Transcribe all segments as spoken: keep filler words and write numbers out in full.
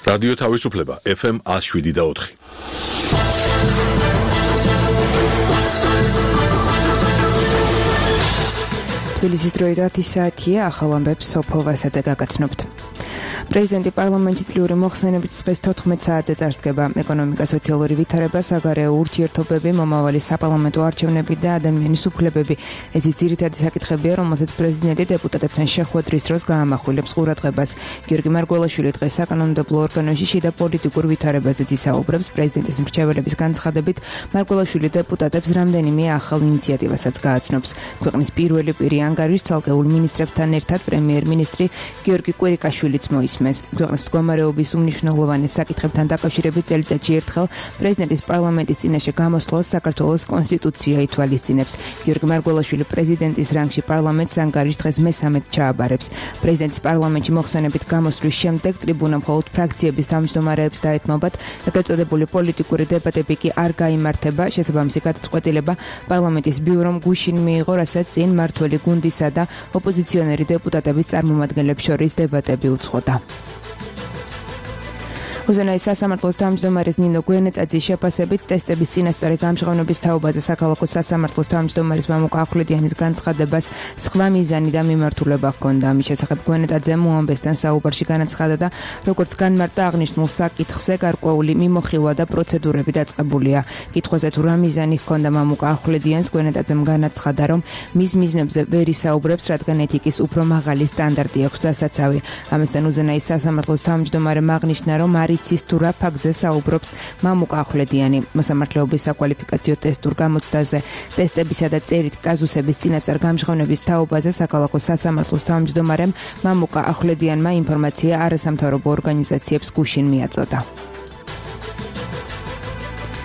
რადიო თავისუფლება ეფ ემ one oh seven და four. თბილისის დროით ათი საათია, ახალ ამბებს სოფო ვასაძე გაგაცნობთ. პრეზიდენტი პარლამენტში წლიური მოხსენებით დღეს თოთხმეტ საათზე წარსდგება. ეკონომიკა, სოციალური ვითარება, საგარეო ურთიერთობები, მომავალი საპარლამენტო არჩევნები და ადამიანის უფლებები. ეს ის ძირითადი საკითხებია, რომელსაც პრეზიდენტი დეპუტატებთან შეხვედრის დროს გაამახვილებს ყურადღებას. გიორგი მარგველაშვილი დღეს საკანონმდებლო ორგანოში შიდა პოლიტიკურ ვითარებაზეც ისაუბრებს. პრეზიდენტის მრჩეველების განცხადებით, მარგველაშვილი დეპუტატებს რამდენიმე ახალ ინიციატივასაც გააცნობს. ქვეყნის პირველი პირი ანგარიშს ცალკეულ მინისტრებთან ერთად პრემიერ-მინისტრი გიორგი კვირიკაშვილიც მოისმენს. ქვეყნის მდგომარეობის უმნიშვნელოვანეს საკითხებთან დაკავშირებით წელიწადში ერთხელ პრეზიდენტის პარლამენტის წინაშე გამოსვლას საქართველოს კონსტიტუცია ითვალისწინებს. გიორგი მარგველაშვილი პრეზიდენტის რანგში პარლამენტს ანგარიშს დღეს მესამედ ჩააბარებს. პრეზიდენტის პარლამენტში მოხსენებით გამოსვლის შემდეგ ტრიბუნა მხოლოდ ფრაქციების თავმჯდომარეებს დაეთმობათ, ეგრეთ წოდებული პოლიტიკური დებატები კი არ გაიმართება. შესაბამისი გადაწყვეტილება პარლამენტის ბიურომ გუშინ მიიღო, რასაც წინ მმართველი გუნდისა და ოპოზიციონერი დეპუტატების წარმომადგენლებს შორის დებატები უძღოდა. უზენაეს სასამართლოს თავმჯდომარის ნინო გვენეტაძის შეფასებით ტესტების წინასწარი გამჟღავნების თაობაზე საქალაქო სასამართლოს თავმჯდომარის მამუკა ახვლედიანის განცხადებას სხვა მიზანი და მიმართულება ჰქონდა. ამის შესახებ გვენეტაძემ უამბესთან საუბარში განაცხადა და როგორც განმარტა აღნიშნულ საკითხზე გარკვეული მიმოხილვა და პროცედურები დაწყებულია. კითხვაზე თუ რა მიზანი ჰქონდა მამუკა ახვლედიანს, გვენეტაძემ განაცხადა, რომ მის მიზნებზე ვერ ისაუბრებს, რადგან ეთიკის უფრო მაღალი სტანდარტი აქვს დასაცავი. ამასთან უზენაეს სასამართლოს თავმჯდომარემ აღნიშნა, რომ იცის თუ რა ფაქტზე საუბრობს მამუკა ახვლედიანი. მოსამართლეობის საკვალიფიკაციო ტესტურ გამოცდაზე ტესტებისა და წერით კაზუსების წინასწარ გამჟღავნების თაობაზე საქალაქო სასამართლოს თავმჯდომარემ მამუკა ახვლედიანმა ინფორმაცია არასამთავრობო ორგანიზაციებს გუშინ მიაწოდა.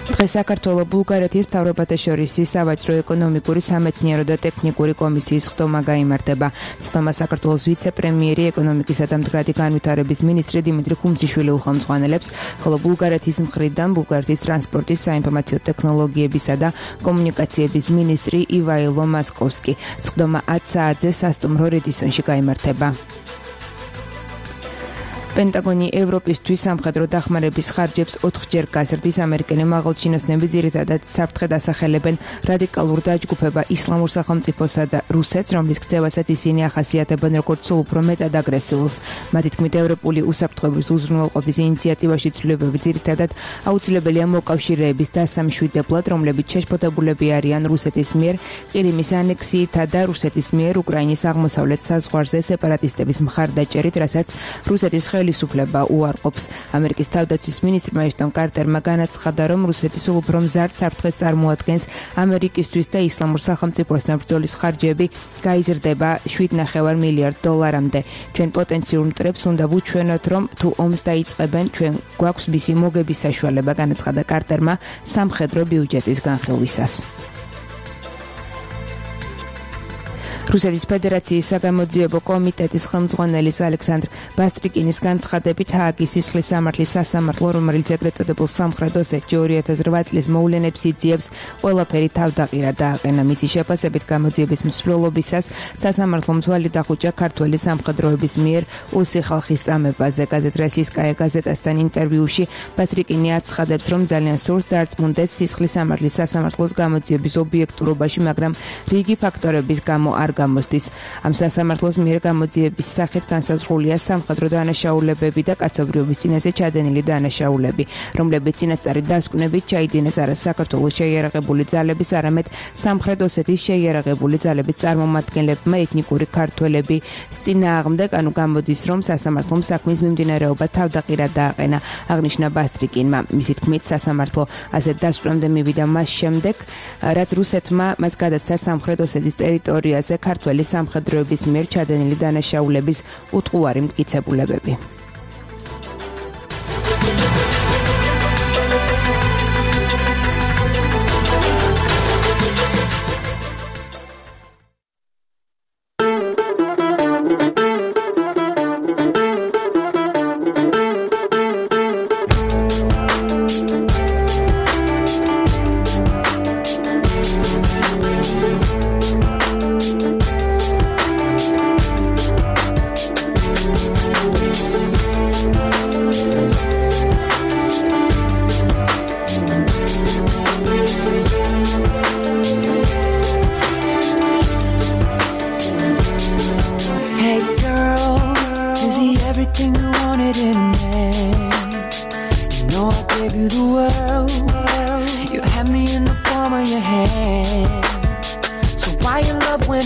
დღეს საქართველოს ბულგარეთის მთავრობათა შორის სავაჭრო ეკონომიკური სამეცნიერო და ტექნიკური კომისიის ხდომა გაიმართება. ხდომა საქართველოს ვიცე-პრემიერი ეკონომიკისა და მდგრადი განვითარების მინისტრი დიმიტრი ხუმძიშვილი უხელმძღვანელებს, ხოლო ბულგარეთის მხრიდან ბულგარეთის ტრანსპორტის, საინფორმაციო ტექნოლოგიებისა და კომუნიკაციების მინისტრი ივაილო მასკოვსკი. ხდომა ათ საათზე სასტუმრო რედისონში გაიმართება. პენტაგონი ევროპისთვის სამხედრო დახმარების ხარჯებს ოთხჯერ გაზრდის. ამერიკელი მაღალჩინოსნები ძირითადად საფრთხედ ასახელებენ რადიკალურ დაჯგუფება ისლამურ სახელმწიფოსა და რუსეთს, რომლის ქცევასაც ისინი ახასიათებენ როგორც სულ უფრო მეტად აგრესიულს. მათი თქმით, ევროპული უსაფრთხოების უზრუნველყოფის ინიციატივაში ცვლილებები ძირითადად აუცილებელია მოკავშირეების დასამშვიდებლად, რომლებიც შეშფოთებულები არიან რუსეთის მიერ ყირიმის ანექსიითა და რუსეთის მიერ უკრაინის აღმოსავლეთ საზღვარზე სეპარატისტების მხარდაჭერით, რასაც რუსეთის ხელისუფლება უარყოფს. ამერიკის თავდაცვის მინისტრმა ეშტონ კარტერმა განაცხადა, რომ რუსეთის სულ უფრო მზარდ საფრთხეს წარმოადგენს ამერიკისთვის და ისლამურ სახელმწიფოსთან ბრძოლის ხარჯები გაიზრდება შვიდ ნახევარ მილიარდ დოლარამდე. ჩვენ პოტენციურ მტრებს უნდა ვუჩვენოთ, რომ თუ ომს დაიწყებენ, ჩვენ გვაქვს მისი მოგების საშუალება, განაცხადა კარტერმა სამხედრო ბიუჯეტის განხილვისას. რუსეთის ფედერაციის საგამოძიებო კომიტეტის ხელმძღვანელის ალექსანდრ ბასტრიკინის განცხადებით, ჰააგის სისხლის სამართლის სასამართლო, რომელიც ეგრეთ წოდებულ სამხრეთ ოსეთში ორი ათას რვა წლის მოვლენებს იძიებს, ყველაფერი თავდაყირა დააყენა. მისი შეფასებით, გამოძიების მსვლელობისას სასამართლომ თვალი დახუჭა ქართველი სამხედროების მიერ უსი ხალხის წამებაზე. გაზეთ როსიისკაია გაზეტასთან ინტერვიუში ბასტრიკინი აცხადებს, რომ ძალიან სურს დარწმუნდეს სისხლის სამართლის სასამართლოს გამოძიების ობიექტურობაში, მაგრამ რიგი ფაქტორების გამო არ გამოსდის. ამ სასამართლოს მიერ გამოძიების სახით განსაზღვრულია სამხედრო დანაშაულებები და კაცობრიობის წინაშე ჩადენილი დანაშაულები, რომლებიც წინასწარი დასკვნებით ჩაიდინეს არა საქართველოს შეიარაღებული ძალების, არამედ სამხრეთ ოსეთის შეიარაღებული ძალების წარმომადგენლებმა, ეთნიკური ქართველები წინააღმდეგ. ანუ გამოდის, რომ სასამართლომ საქმის მიმდინარეობა თავდაყირა დააყენა, აღნიშნა ბასტრიკინმა. მისი თქმით, სასამართლო ასეთ დასკვნამდე მივიდა მას შემდეგ, რაც რუსეთმა მას გადასცა სამხრეთ ოსეთის ტერიტორიაზე ქართველი სამხედროების მიერ ჩადენილი დანაშაულების უტყუარი მტკიცებულებები. We'll be right back.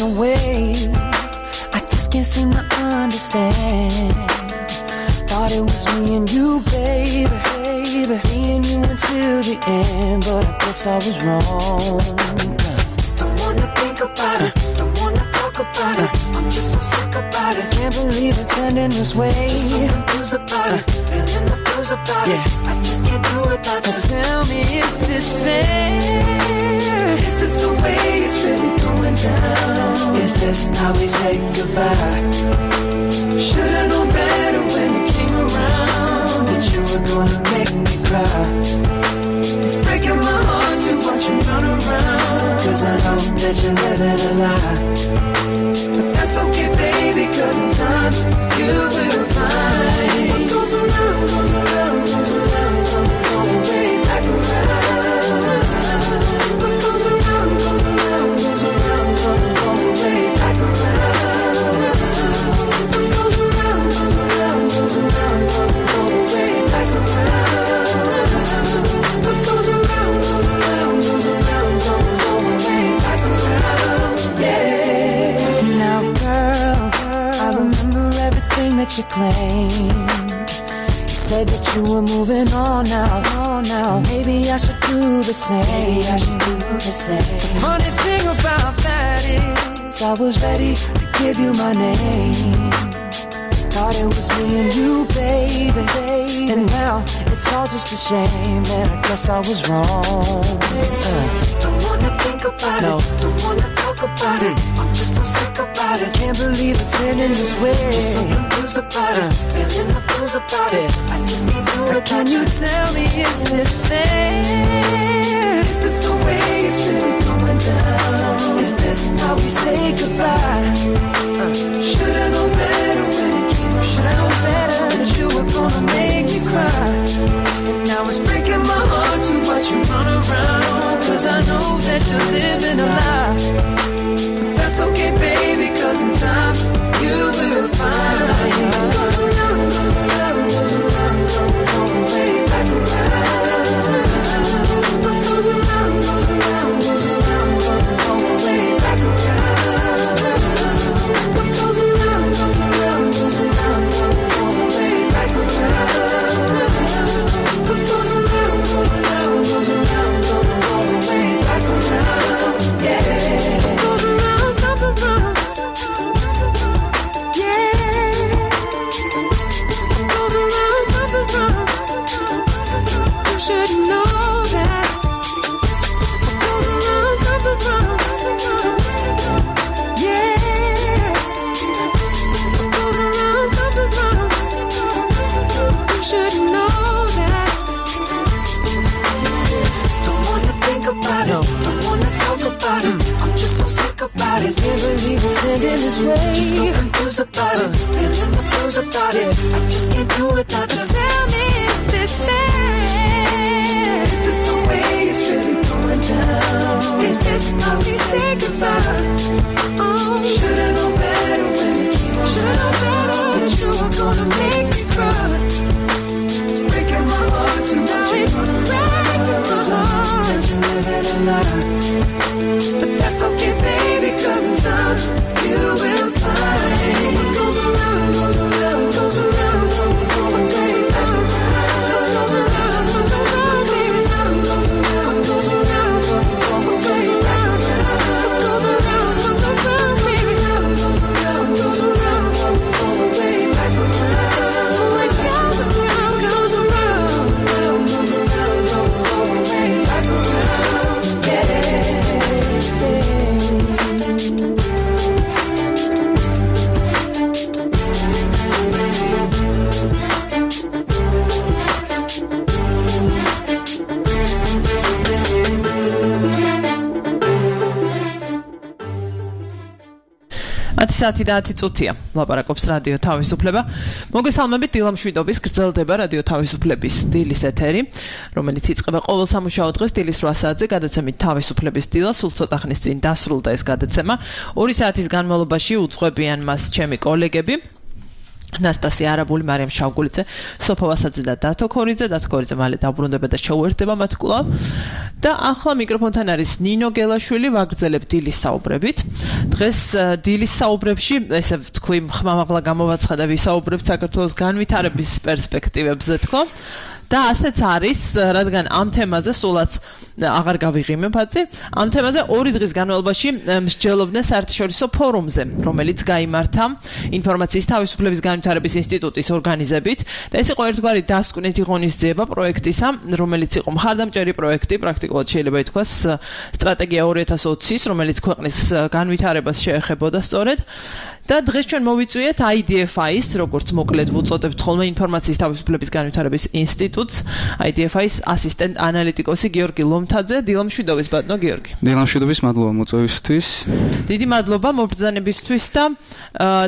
away. I just can't seem to understand. Thought it was me and you, baby, baby. Me and you until the end, but I guess I was wrong. Don't wanna think about it, don't wanna talk about it. I'm just so sick about it. Can't believe it's ending this way. Just so confused about it, feeling the blues about it. I just can't do it without you. Tell me, is this fair? Is this the way it's really going down? Is this how we say goodbye? Should've known better when you came around that you were gonna make me cry. It's breaking my heart to watch you run around, 'cause I know that you're living a lie. But that's okay, baby, 'cause in time you will find what goes around, goes around, goes around, comes all the way back around. What goes around, goes around, goes around, comes all the way back around. What goes around, goes around, goes around, comes all the way back around. What goes around, goes around, goes around, comes all the way back around. Yeah. Now, girl, I remember everything that you claimed. You said that you were moving on now, on now. Maybe I should do the same. Maybe I should do the same. The funny thing about that is, I was ready to give you my name. Thought it was me and you, baby, baby. And now it's all just a shame, and I guess I was wrong. Uh. Don't wanna think about no. it, don't wanna talk about mm. it. I'm just so sick about it. Can't believe it's ending this way. Just so confused about uh. it, feeling the blues about yeah. it. I just can't do it. Can you tell me, is this fair? Is this the way it's really going down? Is this how we say goodbye? Uh. Should've known better when it came around. Should've known better that you were gonna make me cry. And now it's breaking my heart to watch you run around, 'cause I know that you're living a lie. But that's okay, baby, 'cause in time you will find. Goes around, goes around, goes around, comes all the way back around. What goes around, goes around, goes around, comes all the way back around. What goes around, goes around, goes around, comes all the way back around. What goes around, goes around, goes around, comes all the way back around. Yeah. Goes around, comes around. Yeah. Goes around, comes around. You should know that. Goes around, comes around. Yeah. Goes around, comes around. You should know that. Don't wanna think about it, don't wanna talk about it. I'm just so sick about it. Can't believe it's ending this way. Just so confused about it, feeling the blues about it. I just can't do it without you. Tell me, is this fair? Is this the way it's really going down? Is this how we say goodbye? Oh, should've known better when it came around. Should've known better that you were gonna make me cry. It's breaking my heart to watch you run around, 'cause I know that you're living a lie. But that's okay, baby, 'cause in time you will find. What goes around, goes around, goes around, comes all the way back around. Goes around, goes around, goes around, goes around, goes around, comes all the way back around. Goes around, goes around, baby, goes around, goes around, comes all the way back around. What goes around, goes around, goes around, comes all the way back around. Yeah. ათი საათი და ათი წუთია. ლაპარაკობს რადიო თავისუფლება. მოგესალმებით, დილა მშვიდობის გრძელდება რადიო თავისუფლების დილის ეთერი, რომელიც იწყება ყოველ სამუშაო დღეს დილის რვა საათზე გადაცემით თავისუფლების დილა. სულ ცოტა ხნის წინ დასრულდა ეს გადაცემა. ორი საათის განმავლობაში უძღვებიან მას ჩემი კოლეგები. ნასტასია არაბული, მარიამ შავგულიძე, სოფო ვასაძე და დათო ქორიძე, დათო ქორიძე მალე დაბრუნდება და შეუერთდება მათ კვლავ. და ახლა მიკროფონთან არის ნინო გელაშვილი, ვაგრძელებ დილის საუბრებით. დღეს დილის საუბრებში, ესე ვთქვი, ხმამაღლა გამოვაცხადა ვისაუბრებთ საქართველოს განვითარების პერსპექტივებზე თქო. და ასეც არის, რადგან ამ თემაზე სულაც აღარ გავიღიმებ აცი, ამ თემაზე ორი დღის განმავლობაში მსჯელობდნენ საერთაშორისო ფორუმზე, რომელიც გაიმართა ინფორმაციის თავისუფლების განვითარების ინსტიტუტის ორგანიზებით და ეს იყო ერთგვარი დასკვნითი ღონისძიება პროექტისა, რომელიც იყო მხარდამჭერი პროექტი, პრაქტიკულად შეიძლება ითქვას სტრატეგია ორი ათას ოცის, რომელიც ქვეყნის განვითარებას შეეხებოდა სწორედ. და დღეს ჩვენ მოვიწვიეთ I D F I-ს, როგორც მოკლედ ვუწოდებთ ხოლმე ინფორმაციის თავისუფლების განვითარების ინსტიტუტს, I D F I-ს ასისტენტ ანალიტიკოსი გიორგი ლომთაძე, დილამშვიდობის ბატონო გიორგი. დილამშვიდობის, მადლობა მოწვევისთვის. დიდი მადლობა მობრძანებისთვის და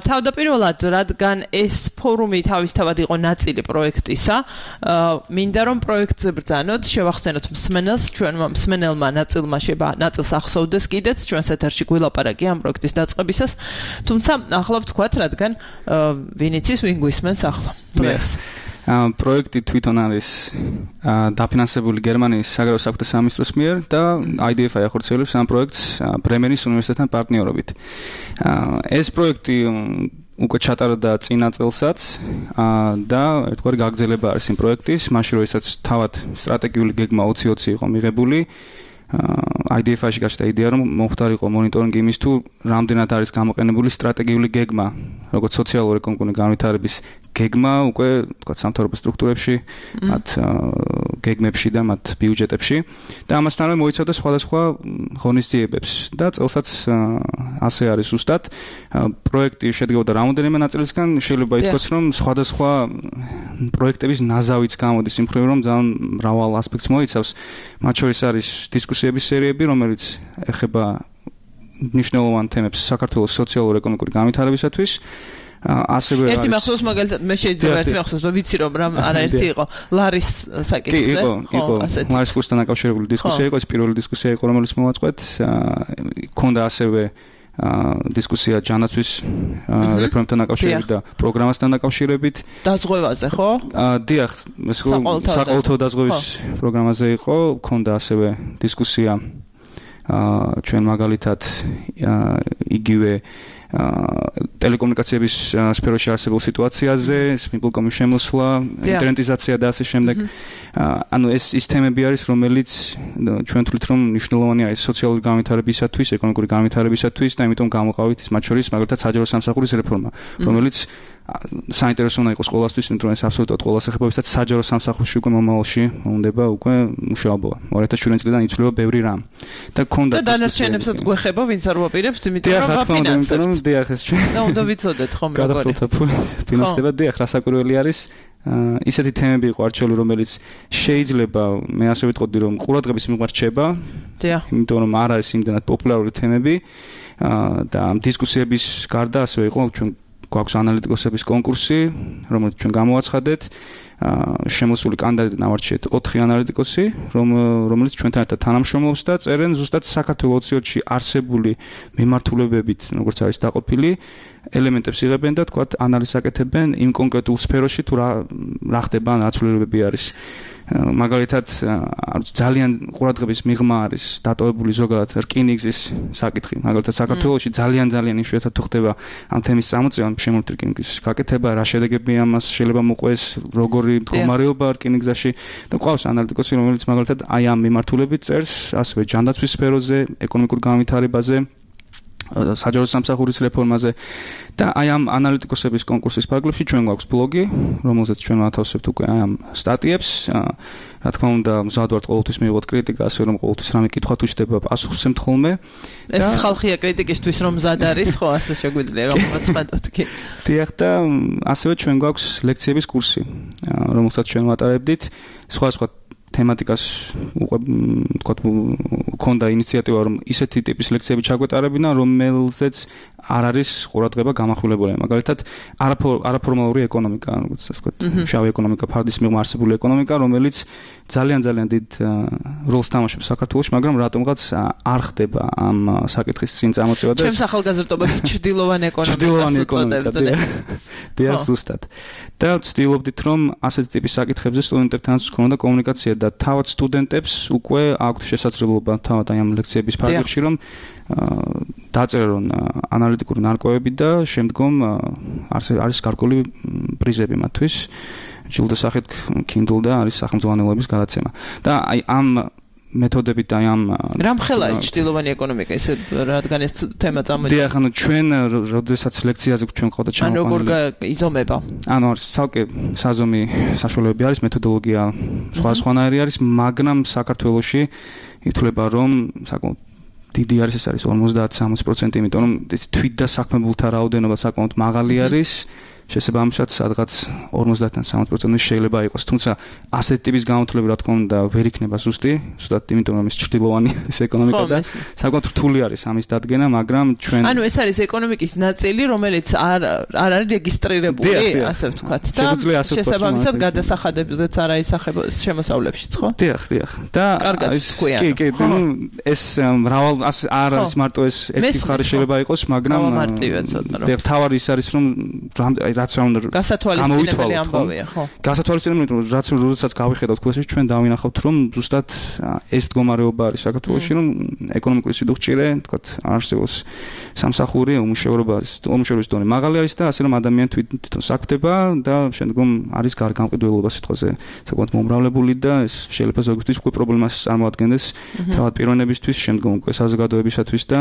თავდაპირველად, რადგან ეს ფორუმი თავისთავად იყო ნაწილი პროექტისა, მინდა რომ პროექტზე ბრძანოთ, შევახსენოთ მსმენელს, ჩვენმა მსმენელმა ნაწილმა შეება ნაწილს ახსოვდეს კიდეც ჩვენს ეთერში გვილაპარაკი ამ პროექტის დაწყებისას, თუმცა ახლა ვთქვათ, რადგან ვინ იცის, ვინ გვისმენს ახლა დღეს. პროექტი თვითონ არის დაფინანსებული გერმანიის საგარეო საქმეთა სამინისტროს მიერ და I D F I ახორციელებს ამ პროექტს ბრემენის უნივერსიტეტთან პარტნიორობით. ეს პროექტი უკვე ჩატარდა წინა წელსაც და ერთგვარი გაგრძელება არის იმ პროექტის, მაშინ როდესაც თავად სტრატეგიული გეგმა ოცი ოცი იყო მიღებული. I D F I-ში გაჩნდა იდეა, რომ მომხდარიყო მონიტორინგი იმის თუ რამდენად არის გამოყენებული სტრატეგიული გეგმა, როგორც სოციალურ-ეკონომიკური განვითარების გეგმა უკვე თქვა სამთავრობო სტრუქტურებში, მათ გეგმებში და მათ ბიუჯეტებში და ამასთანავე მოიცავდა სხვადასხვა ღონისძიებებს და წელსაც ასე არის ზუსტად. პროექტი შედგებოდა რამოდენიმე ნაწილისგან, შეიძლება ითქვას, რომ სხვადასხვა პროექტების ნაზავიც გამოდის იმ მხრივ, რომ ძალიან მრავალ ასპექტს მოიცავს. მათ შორის არის დისკუსიების სერიები, რომელიც ეხება მნიშვნელოვან თემებს საქართველოს სოციალურ-ეკონომიკური განვითარებისათვის. ასევე ერთი მახსოვს მაგალითად მე შეიძლება ერთი მახსოვს ვიცი რომ რამ არაერთი იყო ლარის საკითხზე იყო იყო ლარის კურსთან დაკავშირებული დისკუსია იყო ეს პირველი დისკუსია იყო რომელიც მოვაწყვეთ ქონდა ასევე დისკუსია ჯანაცვის რეფორმებთან დაკავშირებით და პროგრამასთან დაკავშირებით დაზღვევაზე ხო? დიახ ეს საყოველთაო დაზღვევის პროგრამაზე იყო ქონდა ასევე დისკუსია ჩვენ მაგალითად იგივე ტელეკომუნიკაციების სფეროში არსებულ სიტუაციაზე, სპილკომის შემოსვლა, ინტერნეტიზაცია და ასე შემდეგ. ანუ ეს ის თემები არის, რომელიც ჩვენ თვლით, რომ მნიშვნელოვანი არის სოციალური განვითარებისათვის, ეკონომიკური განვითარებისათვის და ამიტომ გამოყავით ის მათ შორის მაგალითად საჯარო სამსახურის რეფორმა, რომელიც საინტერესო უნდა იყოს ყველასთვის, იმიტომ რომ ეს აბსოლუტურად ყველას ეხება, ვისაც საჯარო სამსახურში უკვე მომავალში უნდა უკვე მუშაობა. ორი ათას შვიდ წლიდან იცვლება ბევრი რამ. და ქონდა და დანარჩენებსაც გვეხება, ვინც არ ვაპირებთ, იმიტომ რომ ვაფინანსებთ. დიახ, ეს ჩვენ. და უნდა ვიცოდეთ ხომ როგორი. გადახდოთა ფინანსდება, დიახ, რასაკვირველი არის. ისეთი თემები იყო არჩეული, რომელიც შეიძლება მე ასე ვიტყოდი, რომ ყურადღების მიმართ რჩება. დიახ. იმიტომ რომ არ არის იმდენად პოპულარული თემები და ამ დისკუსიების გარდა ასევე იყო ჩვენ გვაქვს ანალიტიკოსების კონკურსი, რომელიც ჩვენ გამოვაცხადეთ. შემოსული კანდიდატი ნავარჩიეთ ოთხი ანალიტიკოსი, რომელიც ჩვენთან ერთად თანამშრომლობს და წერენ ზუსტად საქართველოს ოცი ოცში არსებული მიმართულებებით, როგორც არის დაყოფილი, ელემენტებს იღებენ და თქვათ ანალიზს აკეთებენ იმ კონკრეტულ სფეროში თუ რა რა ხდება, რა ცვლილებები არის. მაგალითად, ძალიან ყურადღების მიღმა არის დატოვებული ზოგადად რკინიგზის საკითხი. მაგალითად, საქართველოში ძალიან ძალიან იშვიათად თუ ხდება ამ თემის წამოწევა, შემოვლით რკინიგზის გაკეთება, რა შედეგები ამას შეიძლება მოყვეს, როგორი მდგომარეობა რკინიგზაში და ყავს ანალიტიკოსი, რომელიც მაგალითად აი ამ მიმართულებით წერს, ასევე ჯანდაცვის სფეროზე, ეკონომიკურ განვითარებაზე, საჯარო სამსახურის რეფორმაზე და აი ამ ანალიტიკოსების კონკურსის ფარგლებში ჩვენ გვაქვს ბლოგი, რომელზეც ჩვენ ვათავსებთ უკვე აი ამ სტატიებს. რა თქმა უნდა, მზად ვართ ყოველთვის მივიღოთ კრიტიკა, ასე რომ ყოველთვის რამე კითხვა თუ ჩდება, პასუხს ვსემთ ხოლმე. ეს ხალხია კრიტიკისთვის რომ მზად არის, ხო, ასე შეგვიძლია რომ ვაცხადოთ კი. დიახ და ასევე ჩვენ გვაქვს ლექციების კურსი, რომელსაც ჩვენ ვატარებდით. სხვა სხვა თემატიკას უკვე თქვა ქონდა ინიციატივა რომ ისეთი ტიპის ლექციები ჩაგვეტარებინა, რომელზეც არ არის ყურადღება გამახვილებული. მაგალითად, არაფორმალური ეკონომიკა, როგორც ასე ვთქვათ, შავი ეკონომიკა, ფარდის მიღმა არსებული ეკონომიკა, რომელიც ძალიან ძალიან დიდ როლს თამაშობს საქართველოში, მაგრამ რატომღაც არ ხდება ამ საკითხის წინ წამოწევა და ჩემს ახალგაზრდობაში ჭრდილოვანი ეკონომიკა დიახ, ზუსტად. და ვცდილობდით, რომ ასეთი ტიპის საკითხებზე სტუდენტებთანაც გქონოდა კომუნიკაცია და თავად სტუდენტებს უკვე აქვთ შესაძლებლობა თავად აი ამ ლექციების ფარგლებში, რომ დაწერონ ანალიტიკური ნარკვევები და შემდგომ არის გარკვეული პრიზები მათთვის. ჯილდოს სახით Kindle და არის სახელმძღვანელოების გადაცემა. და აი ამ მეთოდებით აი ამ რამხელა ის ჭრდილოვანი ეკონომიკა ესე რადგან ეს თემა წამოიწყო. დიახ, ანუ ჩვენ როდესაც ლექციაზე ჩვენ ყავდა ჩამოყვანილი. ანუ როგორ იზომება? ანუ არის ცალკე საზომი საშუალებები არის, მეთოდოლოგია სხვადასხვანაირი არის, მაგრამ საქართველოში ითვლება რომ საკმაოდ დიდი არის, ეს არის ორმოცდაათ სამოცი პროცენტი, იმიტომ რომ ეს თვით და საქმებულთა რაოდენობა საკმაოდ მაღალი არის. შესაბამისად, სადღაც ორმოცდაათიდან სამოცი პროცენტი შეიძლება იყოს, თუმცა ასეთ ტიპის გამოთვლები რა თქმა უნდა ვერ იქნება ზუსტი, ზუსტად იმიტომ რომ ეს ჭრდილოვანი არის ეკონომიკა და საკმაოდ რთული არის ამის დადგენა, მაგრამ ჩვენ ანუ ეს არის ეკონომიკის ნაწილი, რომელიც არ არ არის რეგისტრირებული, ასე ვთქვათ და შესაბამისად გადასახადებზეც არ აისახება შემოსავლებშიც, ხო? დიახ, დიახ. და ეს კი, კი, ეს მრავალ არ არის მარტო ეს ერთი მხარე შეიძლება იყოს, მაგრამ დიახ, თავარი ის არის რომ რაც რა უნდა გასათვალისწინებელი ამბავია, ხო? გასათვალისწინებელი, რაც როდესაც გავიხედავთ ქვესში, ჩვენ დავინახავთ, რომ ზუსტად ეს მდგომარეობა არის საქართველოში, რომ ეკონომიკური სიდუხჭირე, თქვათ, არსებობს სამსახური, უმუშევრობა, უმუშევრობის დონე მაღალი არის და ასე რომ ადამიანი თვითონ საქმდება და შემდგომ არის გარგამყიდველობა სიტყვაზე საკმაოდ მომრავლებული და ეს შეიძლება ზოგისთვის უკვე პრობლემას წარმოადგენდეს თავად პიროვნებისთვის, შემდგომ უკვე საზოგადოებისათვის და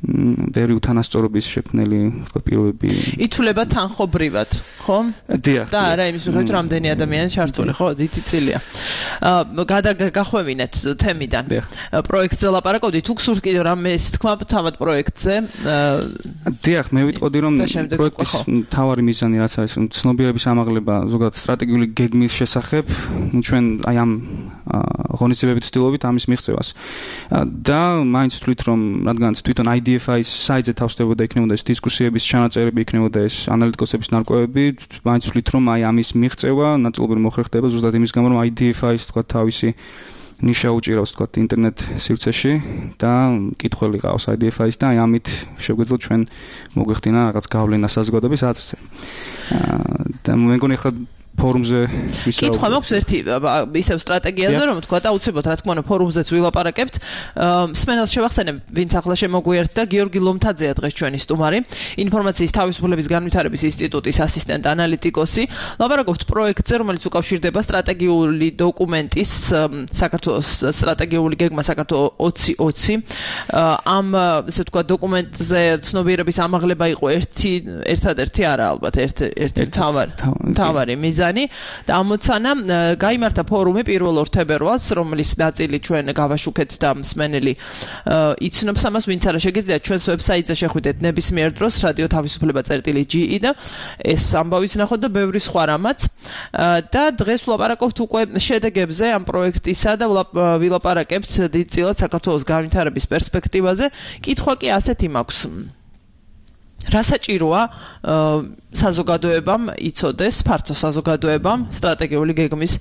ბევრი უთანასწორობის შექმნელი თქვა პირობები ითვლება თანხობრივად, ხო? დიახ. და არა იმის მიხედვით რამდენი ადამიანი ჩართული, ხო? დიდი წილია. აა გახვევინეთ თემიდან. პროექტზე ლაპარაკობდით, თუ გსურთ კიდევ რამეს თქვა თავად პროექტზე? დიახ, მე ვიტყოდი რომ პროექტის მთავარი მიზანი რაც არის, რომ ცნობიერების ამაღლება ზოგადად სტრატეგიული გეგმის შესახებ, ჩვენ აი ამ ღონისძიებებით ვცდილობთ ამის მიღწევას. და მაინც ვთვლით რომ რადგან თვითონ I D F I-ის საიტზე თავსდებოდა იქნებოდა ეს დისკუსიების ჩანაწერები, იქნებოდა ეს ანალიტიკოსების ნარკვევები, მაინც ვთვლით რომ აი ამის მიღწევა ნაწილობრივ მოხერხდება ზუსტად იმის გამო რომ I D F I-ის თქვა თავისი ნიშა უჭირავს თქვა ინტერნეტ სივრცეში და კითხველი ყავს I D F I-ის და აი ამით შეგვეძლოთ ჩვენ მოგვეხდინა რაღაც გავლენა საზოგადოების აზრზე. და მე მგონი ხა ფორუმზე ვისაუბრეთ. კითხვა მაქვს ერთი ისევ სტრატეგიაზე, რომ თქვა აუცილებლად რა თქმა უნდა ფორუმზეც ვილაპარაკებთ. მსმენელს შევახსენებ, ვინც ახლა შემოგვიერთდა, გიორგი ლომთაძეა დღეს ჩვენი სტუმარი, ინფორმაციის თავისუფლების განვითარების ინსტიტუტის ასისტენტ ანალიტიკოსი. ლაპარაკობთ პროექტზე, რომელიც უკავშირდება სტრატეგიული დოკუმენტის საქართველოს სტრატეგიული გეგმა საქართველოს ოცი ოცი. ამ ესე ვთქვა დოკუმენტზე ცნობიერების ამაღლება იყო ერთი ერთადერთი არა ალბათ ერთ ერთი თავარი თავარი მიზანი. და ამოცანა გაიმართა ფორუმი პირველ ორ თებერვალს, რომლის ნაწილი ჩვენ გავაშუქეთ და მსმენელი იცნობს ამას, ვინც არა შეგიძლიათ ჩვენს ვებსაიტზე შეხვიდეთ ნებისმიერ დროს რადიო თავისუფლება წერტილი ჯი ი და ეს ამბავიც ნახოთ და ბევრი სხვა რამაც. და დღეს ვლაპარაკობთ უკვე შედეგებზე ამ პროექტისა და ვილაპარაკებთ დიდწილად საქართველოს განვითარების პერსპექტივაზე. კითხვა კი ასეთი მაქვს. რა საჭიროა საზოგადოებამ იცოდეს, ფართო საზოგადოებამ სტრატეგიული გეგმის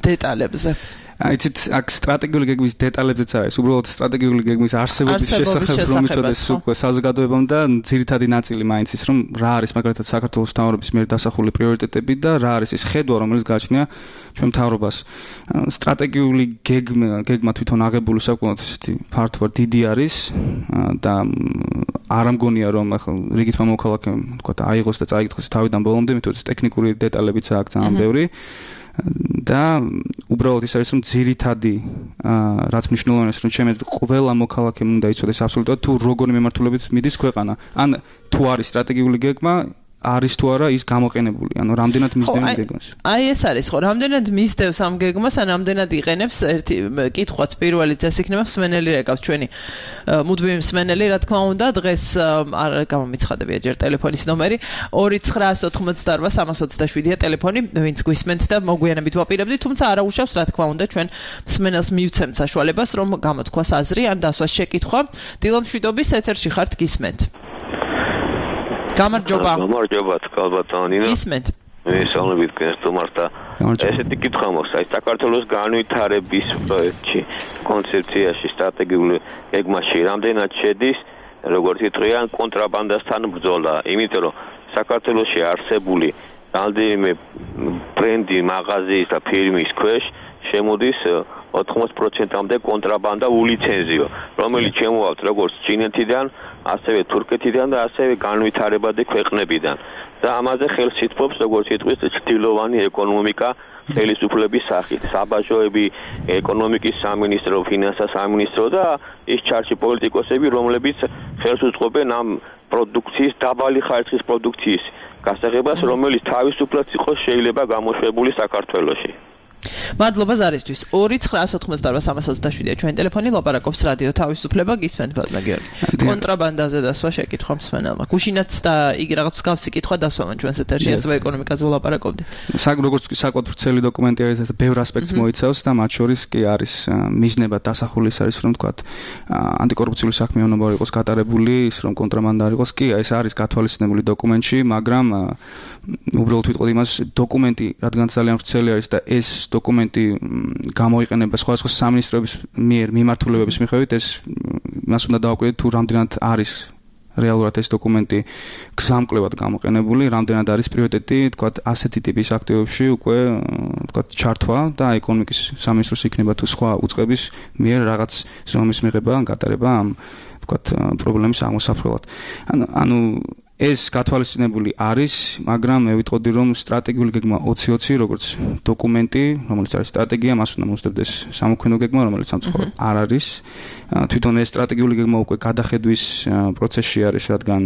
დეტალებზე? აიცით, აქ სტრატეგიული გეგმის დეტალებზეც არის, უბრალოდ სტრატეგიული გეგმის არსებობის შესახებ რომ იცოდეს უკვე საზოგადოებამ და ძირითადი ნაწილი მაინც ის რომ რა არის მაგალითად საქართველოს მთავრობის მიერ დასახული პრიორიტეტები და რა არის ის ხედვა, რომელიც გააჩნია ჩვენ მთავრობას. სტრატეგიული გეგმა, გეგმა თვითონ აღებული საკმაოდ ისეთი ფართო დიდი არის და არ ამგონია რომ ახლა რიგით მომოქალაქემ თქვა აიღოს და წაიკითხოს თავიდან ბოლომდე, მithom ტექნიკური დეტალებიც აქვს ძალიან ბევრი. და უბრალოდ ის არის რომ ძირითადი რაც მნიშვნელოვანია რომ ჩემს ყველა მოქალაქემ უნდა იცოდეს აბსოლუტურად თუ როგორი მიმართულებით მიდის ქვეყანა. ან თუ არის სტრატეგიული გეგმა არის თუ არა ის გამოყენებული, ანუ რამდენად მისდევს გეგმას. აი ეს არის ხო, რამდენად მისდევს ამ გეგმას, ან რამდენად იყენებს ერთი კითხვაც პირველიც ეს იქნება მსმენელი რეკავს ჩვენი მუდმივი მსმენელი, რა თქმა უნდა, დღეს არ გამომიცხადებია ჯერ ტელეფონის ნომერი ორი ცხრა ოთხმოცდაორვა სამას ოცდაშვიდია ტელეფონი, ვინც გვისმენთ და მოგვიანებით ვაპირებდი, თუმცა არა უშავს, რა თქმა უნდა, ჩვენ მსმენელს მივცემთ საშუალებას, რომ გამოთქვას აზრი ან დასვას შეკითხვა. დილომშვიდობის ეთერში ხართ, გისმენთ. გამარჯობა. გამარჯობა, კალბატონინა. ისმენთ. მისალმებით გენს თუმართა. ესეთი კითხვა მაქვს, აი საქართველოს განვითარების პროექტში, კონცეფციაში, სტრატეგიული გეგმაში რამდენად შედის, როგორც იტყვიან, კონტრაბანდასთან ბრძოლა, იმიტომ რომ საქართველოში არსებული რამდენიმე ბრენდი, მაღაზიის და ფირმის ქვეშ შემოდის ოთხმოცდაოთხ პროცენტამდე კონტრაბანდა ულიცენზიო, რომელიც შემოაქვთ როგორც ჩინეთიდან, ასევე თურქეთიდან და ასევე განვითარებადი ქვეყნებიდან. და ამაზე ხელს ითმობს როგორც იტყვის ჩრდილოვანი ეკონომიკა ხელისუფლების სახით, საბაჟოები, ეკონომიკის სამინისტრო, ფინანსთა სამინისტრო და ის ჩარჩი პოლიტიკოსები, რომლებიც ხელს უწყობენ ამ პროდუქციის, დაბალი ხარისხის პროდუქციის გასაღებას, რომელიც თავისუფლად იყოს შეიძლება გამოშვებული საქართველოში. მადლობა ზარისთვის. ორი ცხრა ოთხმოცდაორ სამას ოცდაშვიდია ჩვენი ტელეფონი, ლაპარაკობს რადიო თავისუფლება, გისმენთ ბატონო გიორგი. კონტრაბანდაზე დასვა შეკითხვა მსმენელმა. გუშინაც და იგი რაღაც მსგავსი კითხვა დასვამან ჩვენს ეთერში, ასევე ეკონომიკაზე ვლაპარაკობდი. საკ როგორც კი საკუთარ ვრცელი დოკუმენტი არის, ეს ბევრ ასპექტს მოიცავს და მათ შორის კი არის მიზნებად დასახული ის არის, რომ თქვათ ანტიკორუფციული საქმიანობა იყოს გატარებული, ის რომ კონტრაბანდა არ იყოს, კი ეს არის გათვალისწინებული დოკუმენტში, მაგრამ უბრალოდ ვიტყოდი იმას, დოკუმენტი რადგან ძალიან ვრცელი არის და ეს დოკუმენტი გამოიყენება სხვადასხვა სამინისტროების მიერ მიმართულებების მიხედვით, ეს მას უნდა დავაკვირდეთ თუ რამდენად არის რეალურად ეს დოკუმენტი გზამკვლევად გამოყენებული, რამდენად არის პრიორიტეტი, თქვათ, ასეთი ტიპის აქტივობებში უკვე, თქვათ, ჩართვა და ეკონომიკის სამინისტროს იქნება თუ სხვა უწყების მიერ რაღაც ზომის მიღება, გატარება ამ, თქვათ, პრობლემის აღმოსაფრთხებლად. ანუ ეს გათვალისწინებული არის, მაგრამ მე ვიტყოდი, რომ სტრატეგიული გეგმა ოცი ოცი, როგორც დოკუმენტი, რომელიც არის სტრატეგია, მას უნდა მოსდევდეს სამოქმედო გეგმა, რომელიც სამწუხაროდ არ არის. თვითონ ეს სტრატეგიული გეგმა უკვე გადახედვის პროცესში არის, რადგან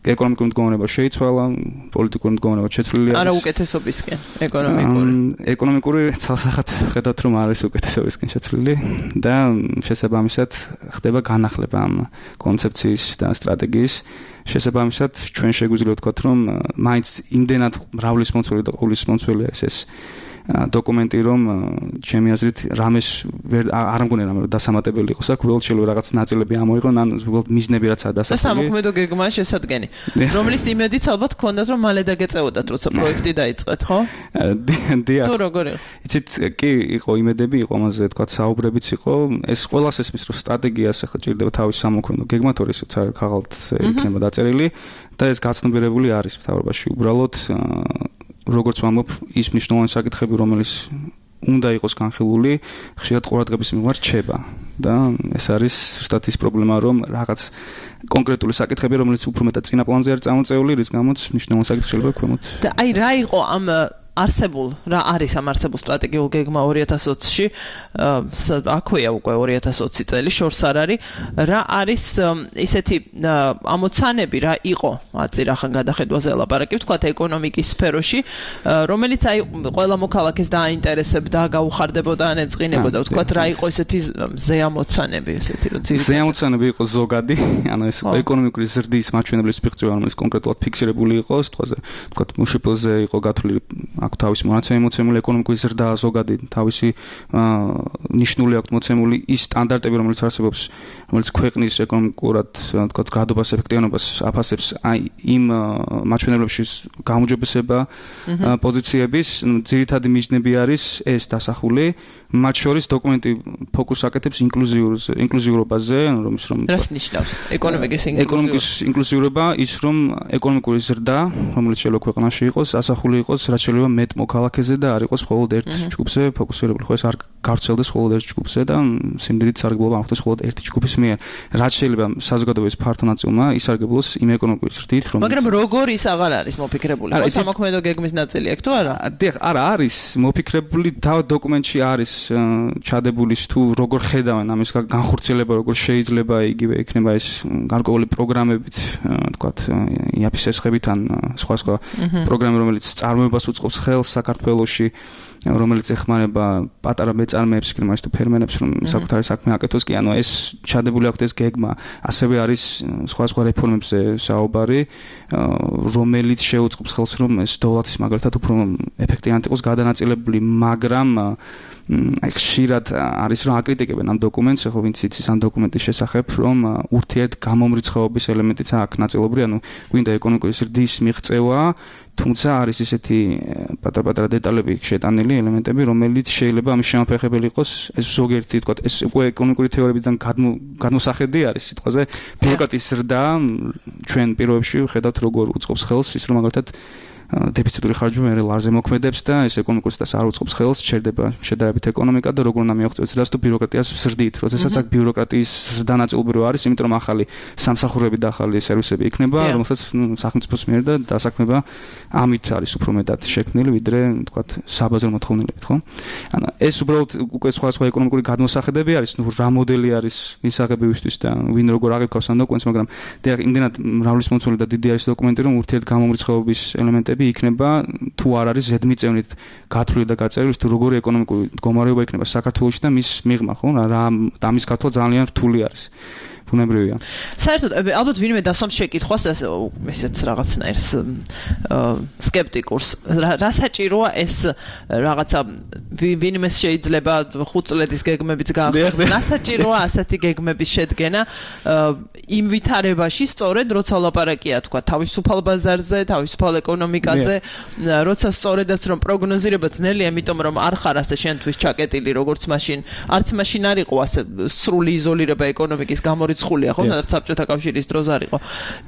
ეკონომიკური მდგომარეობა შეიცვალა, პოლიტიკური მდგომარეობა შეცვლილი არის. არა უკეთესობისკენ, ეკონომიკური. ეკონომიკური ცალსახად ხედავთ, რომ არის უკეთესობისკენ შეცვლილი და შესაბამისად ხდება განახლება ამ კონცეფციის და სტრატეგიის. შესაბამისად, ჩვენ შეგვიძლია ვთქვათ, რომ მაინც იმდენად მრავლის მომცველი და ყოვლის მომცველი არის ეს დოკუმენტი, რომ ჩემი აზრით რამეს არ მგონია რამე დასამატებელი იყოს აქ, უბრალოდ შეიძლება რაღაც ნაწილები ამოიღონ, ან უბრალოდ მიზნები რაც არის დასახული. სამოქმედო გეგმა შესადგენი, რომლის იმედიც ალბათ გქონდათ, რომ მალე დაგეწეოდათ, როცა პროექტი დაიწყეთ, ხო? დიახ. თუ როგორ იყო? იცით, კი იყო იმედები, იყო ამაზე თქვათ საუბრებიც იყო, ეს ყველას ესმის, რომ სტრატეგიას ახლა ჭირდება თავის სამოქმედო გეგმა, თორე ისიც არის ქაღალდზე იქნება დაწერილი და ეს გაცნობიერებული არის მთავრობაში. უბრალოდ როგორც ვამბობ, ის მნიშვნელოვანი საკითხები, რომელიც უნდა იყოს განხილული, ხშირად ყურადღების მიმართ რჩება და ეს არის ზუსტად ის პრობლემა, რომ რაღაც კონკრეტული საკითხები, რომელიც უფრო მეტად წინა პლანზე არის წამოწეული, რის გამოც მნიშვნელოვანი საკითხი შეიძლება ქვემოთ. და აი რა იყო ამ არსებულ რა არის ამ არსებულ სტრატეგიულ გეგმა ორი ათას ოცში, აქვეა უკვე ორი ათას ოცი წელი, შორს არ არის, რა არის ისეთი ამოცანები, რა იყო აწირახან გადახედვაზე ლაპარაკი, ვთქვათ ეკონომიკის სფეროში, რომელიც აი ყველა მოქალაქეს დააინტერესებდა, გაუხარდებოდა ან ეწყინებოდა, ვთქვათ რა იყო ისეთი ზეამოცანები, ესეთი რომ ძირითადად ზეამოცანები იყო ზოგადი, ანუ ეს ეკონომიკური ზრდის მაჩვენებლის ფიქცია, რომელიც კონკრეტულად ფიქსირებული იყო, ეს თვალზე, ვთქვათ, მუშიფელზე იყო გათვლილი აქვს თავისი მონაცემი მოცემული, ეკონომიკური ზრდა ზოგადი თავისი ნიშნული აქვს მოცემული, ის სტანდარტები, რომელიც არსებობს, რომელიც ქვეყნის ეკონომიკურად, თქვათ, გრადობას, ეფექტიანობას აფასებს, აი იმ მაჩვენებლებში გამოჯობესება პოზიციების ძირითადი მიზნები არის ეს დასახული, მათ შორის დოკუმენტი ფოკუსს აკეთებს ინკლუზიურზე, ინკლუზიურობაზე, რომ ის რომ რას ნიშნავს ეკონომიკის ინკლუზიურობა? ეკონომიკის ინკლუზიურობა ის რომ ეკონომიკური ზრდა, რომელიც შეიძლება ქვეყანაში იყოს, ასახული იყოს, რაც შეიძლება მეტ მოქალაქეზე და არ იყოს მხოლოდ ერთ ჯგუფზე ფოკუსირებული, ხო ეს არ გავრცელდეს მხოლოდ ერთ ჯგუფზე და სიმდიდრით სარგებლობა ამხდეს მხოლოდ ერთი ჯგუფის მიერ. რაც შეიძლება საზოგადოების ფართო ნაწილმა ისარგებლოს იმ ეკონომიკური ზრდით, რომ მაგრამ როგორ ის აღარ არის მოფიქრებული? ხო სამოქმედო გეგმის ნაწილი აქ თუ არა? დიახ, არა არის მოფიქრებული, თავ დოკუმენტში არის ჩადებული თუ როგორ ხედავენ ამის განხორციელება, როგორ შეიძლება იგივე იქნება ეს გარკვეული პროგრამებით, თქვათ, იაფის ესხებით ან სხვა სხვა პროგრამები, რომელიც წარმოებას უწყობს ხელს საქართველოში, რომელიც ეხმარება პატარა მეწარმეებს, იქნება ის თუ ფერმერებს, რომ საკუთარი საქმე აკეთოს, კი ანუ ეს ჩადებული აქვს ეს გეგმა, ასევე არის სხვა სხვა რეფორმებზე საუბარი, რომელიც შეუწყობს ხელს, რომ ეს დოლათის მაგალითად უფრო ეფექტიანად იყოს გადანაწილებული, მაგრამ აი ხშირად არის რომ აკრიტიკებენ ამ დოკუმენტს, ხო ვინც იცის ამ დოკუმენტის შესახებ, რომ ურთიერთ გამომრიცხეობის ელემენტიც აქვს ნაწილობრივ, ანუ გვინდა ეკონომიკური ზრდის მიღწევა, თუმცა არის ისეთი პატარ-პატარა დეტალები შეტანილი ელემენტები, რომელიც შეიძლება ამის შემაფეხებელი იყოს, ეს ზოგიერთი თქვა, ეს უკვე ეკონომიკური თეორიებიდან გადმოსახედი არის სიტყვაზე, ბიუროკრატიის ზრდა ჩვენ პირობებში ხედავთ როგორ უწყობს ხელს ის რომ მაგალითად დეფიციტური ხარჯები მე ლარზე მოქმედებს და ეს ეკონომიკურს და არ უწყობს ხელს, ჩერდება შედარებით ეკონომიკა და როგორ უნდა მიაღწევს ზრდას თუ ბიუროკრატიას ზრდით, როდესაც აქ ბიუროკრატიის ზრდა ნაწილობრივ არის, იმიტომ რომ ახალი სამსახურები და ახალი სერვისები იქნება, რომელსაც სახელმწიფოს მიერ და დასაქმება ამით არის უფრო მეტად შექმნილი, ვიდრე თქვათ საბაზრო მოთხოვნილებით, ხო? ანუ ეს უბრალოდ უკვე სხვა სხვა ეკონომიკური გადმოსახედები არის, ნუ რა მოდელი არის მისაღებივისთვის და ვინ როგორ აღიქვამს ამ დოკუმენტს, მაგრამ დიახ, იმდენად მრავალისმომცველი და დიდი არის დოკუმენტი, რომ ურთიერთ გამომრიცხეობის ელემენტები იქნება თუ არ არის ზედმიწევნით გათვლილი და გაწერილი თუ როგორი ეკონომიკური მდგომარეობა იქნება საქართველოში და მის მიღმა ხო რა ამის გათვლა ძალიან რთული არის ბუნებრივია. საერთოდ ალბათ ვინმე დასვამს შეკითხვას ესეც რაღაცნაირს სკეპტიკურს რა საჭიროა ეს რაღაცა ვინმე შეიძლება ხუთ წლედის გეგმებიც გაახსენოს რა საჭიროა ასეთი გეგმების შედგენა იმ ვითარებაში სწორედ როცა ლაპარაკია თქვა თავისუფალ ბაზარზე თავისუფალ ეკონომიკაზე როცა სწორედაც რომ პროგნოზირება ძნელია იმიტომ რომ არ ხარ ასე შენთვის ჩაკეტილი როგორც მაშინ არც მაშინ არ იყო ასე სრული იზოლირება ეკონომიკის გამო ცხულია ხო რაც საბჭოთა კავშირის დროს არ იყო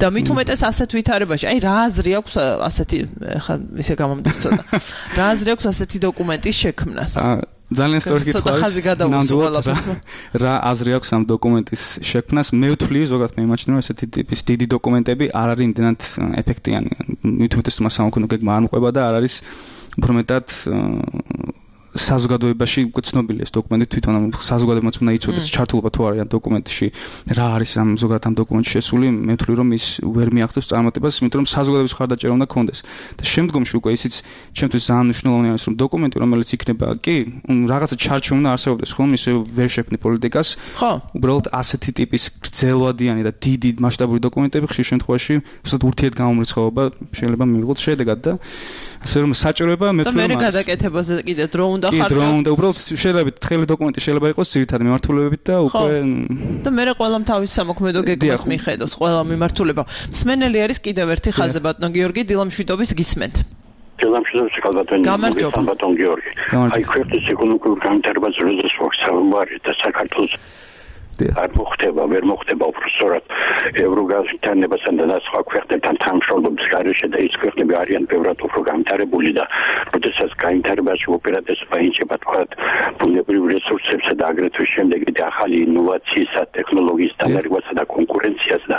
და მით უმეტეს ასეთ ვითარებაში აი რა აზრი აქვს ასეთი ხა ისე გამომდის ცოტა რა აზრი აქვს ასეთი დოკუმენტის შექმნას ძალიან სწორი კითხვა არის რა აზრი აქვს ამ დოკუმენტის შექმნას მე ვთვლი ზოგადად მე იმაჩნია რომ ესეთი ტიპის დიდი დოკუმენტები არ არის იმდენად ეფექტიანი მით უმეტეს თუ სამოქალაქო გეგმა არ მოყვება და არ არის უფრო მეტად საზოგადოებაში უკვე ცნობილია ეს დოკუმენტი თვითონ ამ საზოგადოებაც უნდა იცოდეს ჩართულობა თუ არის ამ დოკუმენტში რა არის ამ ზოგადად ამ დოკუმენტში შესული მე ვთვლი რომ ის ვერ მიაღწევს წარმატებას იმიტომ რომ საზოგადოების ხარდაჭერა უნდა ქონდეს და შემდგომში უკვე ისიც ჩემთვის ძალიან მნიშვნელოვანი არის რომ დოკუმენტი რომელიც იქნება კი რაღაცა ჩარჩო უნდა არსებობდეს ხომ ისე ვერ შექმნი პოლიტიკას ხო უბრალოდ ასეთი ტიპის გრძელვადიანი და დიდი მასშტაბური დოკუმენტები ხშირ შემთხვევაში უბრალოდ ურთიერთ გამომრიცხეობა შეიძლება მიიღოს შედეგად და ასე რომ საჭიროება მე თვითონ მე გადაკეთებაზე კიდე დრო უნდა ხარ კი დრო უნდა უბრალოდ შეიძლება თხელი დოკუმენტი შეიძლება იყოს ძირითადი მიმართულებებით და უკვე და მე ყველამ თავის სამოქმედო გეგმას მიხედოს ყველა მიმართულება მსმენელი არის კიდევ ერთი ხაზზე ბატონ გიორგი დილამშვიდობის გისმენთ დილამშვიდობის კალბატონი ბატონ გიორგი აი ქვეყნის ეკონომიკური განვითარება ზრდას ვახსენებარი და საქართველოს არ მოხდება, ვერ მოხდება უბრალოდ ევროგაზეთანებასთან და სხვა ქვეყნებთან თანამშრომლობის გარეშე და ის ქვეყნები არიან ბევრად უფრო განვითარებული და როდესაც განვითარებაში ოპერატესობა ინჩება თქვა ბუნებრივ რესურსებსა და აგრეთვე შემდეგ ახალი ინოვაციისა, ტექნოლოგიის დანერგვასა და კონკურენციას და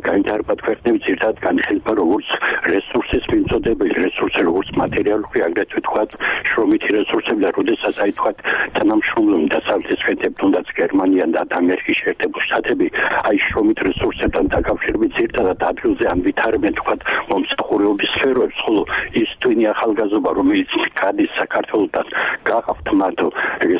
განვითარება ქვეყნები ძირითადად განიხილება როგორც რესურსის მიმწოდებელი რესურსი როგორც მატერიალური აგრეთვე თქვა შრომითი რესურსები და როდესაც აი თქვა თანამშრომლობენ დასავლეთის ქვეყნები თუნდაც გერმანია და ამერიკის შეერთებული შტატები აი შრომით რესურსებთან დაკავშირებით ძირითადად ადგილზე ანვითარებენ თქვა მომსახურეობის სფეროებს, ხოლო ის თვინი ახალგაზრდა რომელიც გადის საქართველოსთან გაყავთ მათ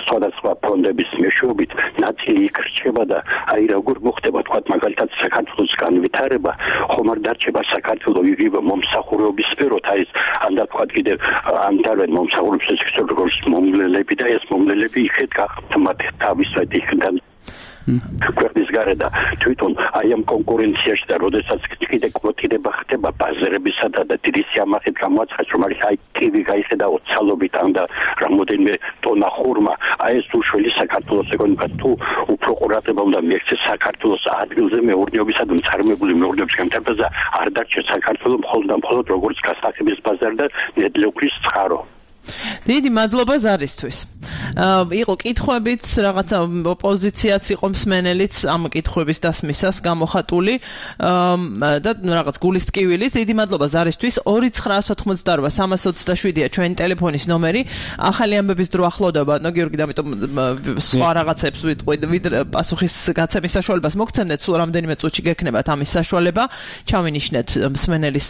სხვადასხვა ფონდების მეშვეობით ნაწილი იქ რჩება და აი როგორ მოხდება თქვა მაგალითად საქართველოს განვითარება ხომ არ დარჩება საქართველოს იგივე მომსახურეობის სფეროთ აი ეს ანდა თქვა კიდევ ანტარენ მომსახურეობის სფეროს მომლელები და ეს მომლელები იქეთ გაყავთ მათ თავისვე იქიდან ქვეყნის გარდა თვითონ აი ამ კონკურენციაში და როდესაც კიდე კვოტირება ხდება ბაზარებისა და დიდი სიამაყით გამოაცხადოს რომ არის აი კივი გაიხედა ოცალობით ან და რამოდენიმე ტონა ხურმა აი ეს უშველი საქართველოს ეკონომიკას თუ უფრო ყურადღება უნდა მიექცეს საქართველოს ადგილზე მეურნეობისა და მწარმოებული მეურნეობის განვითარებაზე არ დარჩეს საქართველოს მხოლოდ და მხოლოდ როგორც გასახების ბაზარი და ნედლეულის წყარო დიდი მადლობა ზარისთვის. იყო კითხვებიც, რაღაცა ოპოზიციაც იყო მსმენელიც ამ კითხვების დასმისას გამოხატული და რაღაც გულის ტკივილის. დიდი მადლობა ზარისთვის. ორი ცხრაას ოთხმოცდაორ სამას ოცდაშვიდია ჩვენი ტელეფონის ნომერი. ახალი ამბების დრო ახლოვდება, ნო გიორგი, ამიტომ სხვა რაღაცებს ვიტყვით, ვიდრე პასუხის გაცემის საშუალებას მოგცემდეთ, სულ რამდენიმე წუთში გექნებათ ამის საშუალება. ჩავინიშნეთ მსმენელის,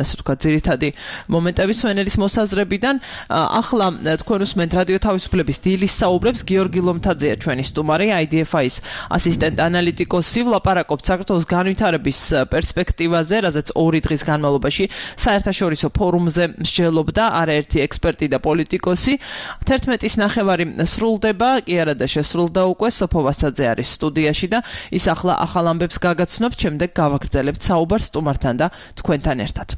ასე ვთქვათ, ძირითადი მომენტები მსმენელის მოსაზრებიდან. ახლა თქვენ უსმენთ რადიო თავისუფლების დილის საუბრებს. გიორგი ლომთაძეა ჩვენი სტუმარი, I D F I-ის ასისტენტ ანალიტიკოსი. ვლაპარაკობთ საქართველოს განვითარების პერსპექტივაზე, რაზეც ორი დღის განმავლობაში საერთაშორისო ფორუმზე მსჯელობდა არაერთი ექსპერტი და პოლიტიკოსი. თერთმეტის ნახევარი სრულდება, კი არა და შესრულდა უკვე. სოფო ვასაძე არის სტუდიაში და ის ახლა ახალ ამბებს გაგაცნობთ. შემდეგ გავაგრძელებთ საუბარს სტუმართან და თქვენთან ერთად.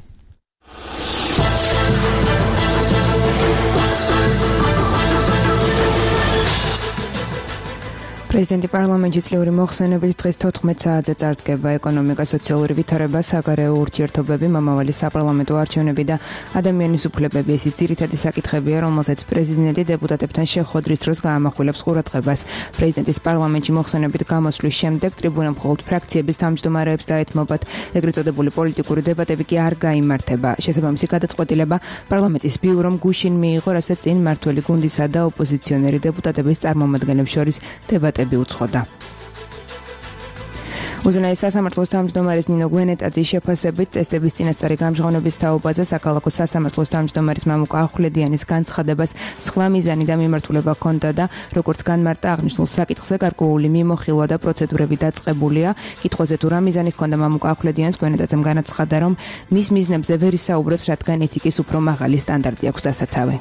პრეზიდენტი პარლამენტში წლიური მოხსენებით დღეს თოთხმეტ საათზე წარდგება ეკონომიკა, სოციალური ვითარება, საგარეო ურთიერთობები, მომავალი საპარლამენტო არჩევნები და ადამიანის უფლებები. ეს ძირითადი საკითხებია, რომელსაც პრეზიდენტი დეპუტატებთან შეხვედრის დროს გაამახვილებს ყურადღებას. პრეზიდენტის პარლამენტში მოხსენებით გამოსვლის შემდეგ ტრიბუნამ მხოლოდ ფრაქციების თავმჯდომარეებს დაეთმობათ. ეგრეთ წოდებული პოლიტიკური დებატები კი არ გაიმართება. შესაბამისი გადაწყვეტილება პარლამენტის ბიურომ გუშინ მიიღო, რასაც წინ მმართველი გუნდისა და ოპოზიციონერი დეპუტატების წარმომადგენლებს შორის დებატები უცხოდა. უზენაეს სასამართლოს თავმჯდომარის ნინო გვენეტაძის შეფასებით ტესტების წინასწარი გამჟღავნების თაობაზე საქალაქო სასამართლოს თავმჯდომარის მამუკა ახვლედიანის განცხადებას სხვა მიზანი და მიმართულება ჰქონდა და როგორც განმარტა აღნიშნულ საკითხზე გარკვეული მიმოხილვა და პროცედურები დაწყებულია. კითხვაზე თუ რა მიზანი ჰქონდა მამუკა ახვლედიანს, გვენეტაძემ განაცხადა, რომ მის მიზნებზე ვერ ისაუბრებს, რადგან ეთიკის უფრო მაღალი სტანდარტი აქვს დასაცავი.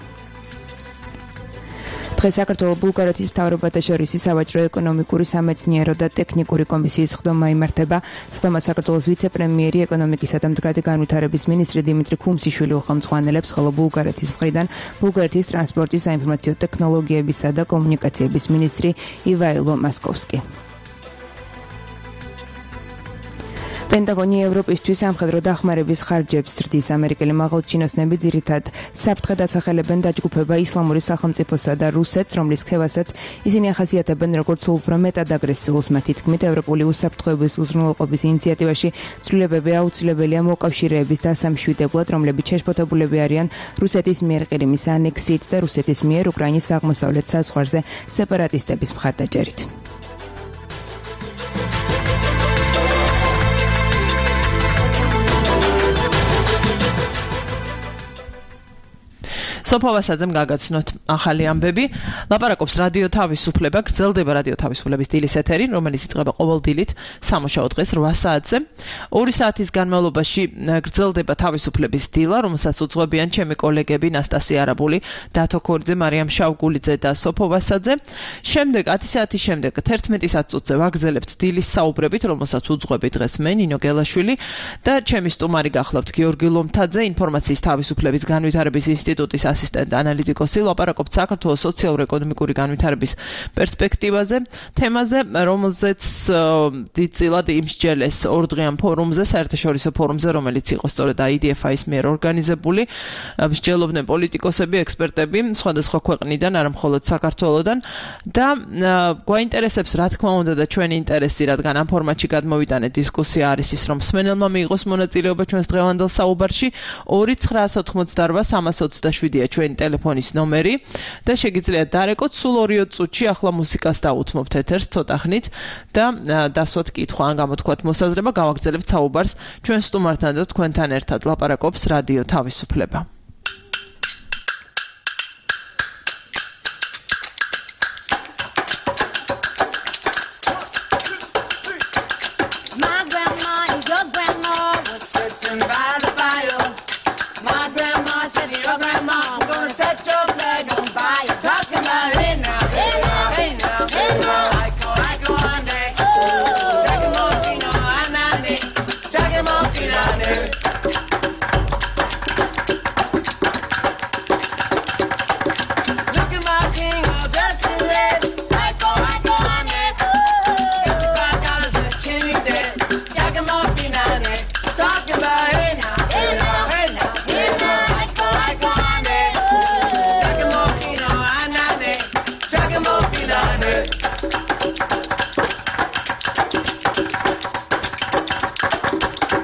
დღეს საქართველოს ბულგარეთის მთავრობათა შორის სავაჭრო ეკონომიკური სამეცნიერო და ტექნიკური კომისიის ხდომა იმართება. ხდომას საქართველოს ვიცე-პრემიერი ეკონომიკისა და მდგრადი განვითარების მინისტრი დიმიტრი ქუმსიშვილი უხელმძღვანელებს, ხოლო ბულგარეთის მხრიდან ბულგარეთის ტრანსპორტის, საინფორმაციო ტექნოლოგიებისა და კომუნიკაციების მინისტრი ივაილო მასკოვსკი. პენტაგონი ევროპისთვის სამხედრო დახმარების ხარჯებს ზრდის. ამერიკელი მაღალჩინოსნები ძირითადად საფრთხედ ასახელებენ დაჯგუფება ისლამური სახელმწიფოსა და რუსეთს, რომლის ქევასაც ისინი ახასიათებენ როგორც უფრო მეტად აგრესიულს. მათი თქმით, ევროპული უსაფრთხოების უზრუნველყოფის ინიციატივაში ცვლილებები აუცილებელია მოკავშირეების დასამშვიდებლად, რომლებიც შეშფოთებულები არიან რუსეთის მიერ ყირიმის ანექსიით და რუსეთის მიერ უკრაინის აღმოსავლეთ საზღვარზე სეპარატისტების მხარდაჭერით. სოფო ვასაძემ გაგაცნოთ ახალი ამბები. ლაპარაკობს რადიო თავისუფლება, გრძელდება რადიო თავისუფლების დილის ეთერი, რომელიც იწყება ყოველ დილით სამუშაო დღეს რვა საათზე. ორი საათის განმავლობაში გრძელდება თავისუფლების დილა, რომელსაც უძღვებიან ჩემი კოლეგები ნასტასია არაბული, დათო ქორიძე, მარიამ შავგულიძე და სოფო ვასაძე. შემდეგ ათი საათის შემდეგ თერთმეტი საათზე ვაგრძელებთ დილის საუბრებით, რომელსაც უძღვები დღეს მე ნინო გელაშვილი და ჩემი სტუმარი გახლავთ გიორგი ლომთაძე, ინფორმაციის თავისუფლების განვითარების ინსტიტუტის ასისტენტ ანალიტიკოსი. ლაპარაკობთ საქართველოს სოციალურ-ეკონომიკური განვითარების პერსპექტივაზე, თემაზე, რომელზეც დიდწილად იმსჯელეს ორდღიან ფორუმზე, საერთაშორისო ფორუმზე, რომელიც იყო სწორედ I D F I-ის მიერ ორგანიზებული. მსჯელობდნენ პოლიტიკოსები, ექსპერტები სხვადასხვა ქვეყნიდან, არა მხოლოდ საქართველოდან და გვაინტერესებს, რა თქმა უნდა, და ჩვენი ინტერესი, რადგან ამ ფორმატში გადმოვიტანეთ დისკუსია არის ის, რომ მსმენელმა მიიღოს მონაწილეობა ჩვენს დღევანდელ საუბარში. ორი ცხრაას ოთხმოცდარვა სამას ოცდაშვიდია ჩვენი ტელეფონის ნომერი და შეგიძლიათ დარეკოთ სულ ორიო წუთში. ახლა მუსიკას დაუთმობთ ეთერს ცოტა ხნით და დასვათ კითხვა ან გამოთქვათ მოსაზრება, გავაგრძელებთ საუბარს ჩვენ სტუმართან და თქვენთან ერთად. ლაპარაკობს რადიო თავისუფლება.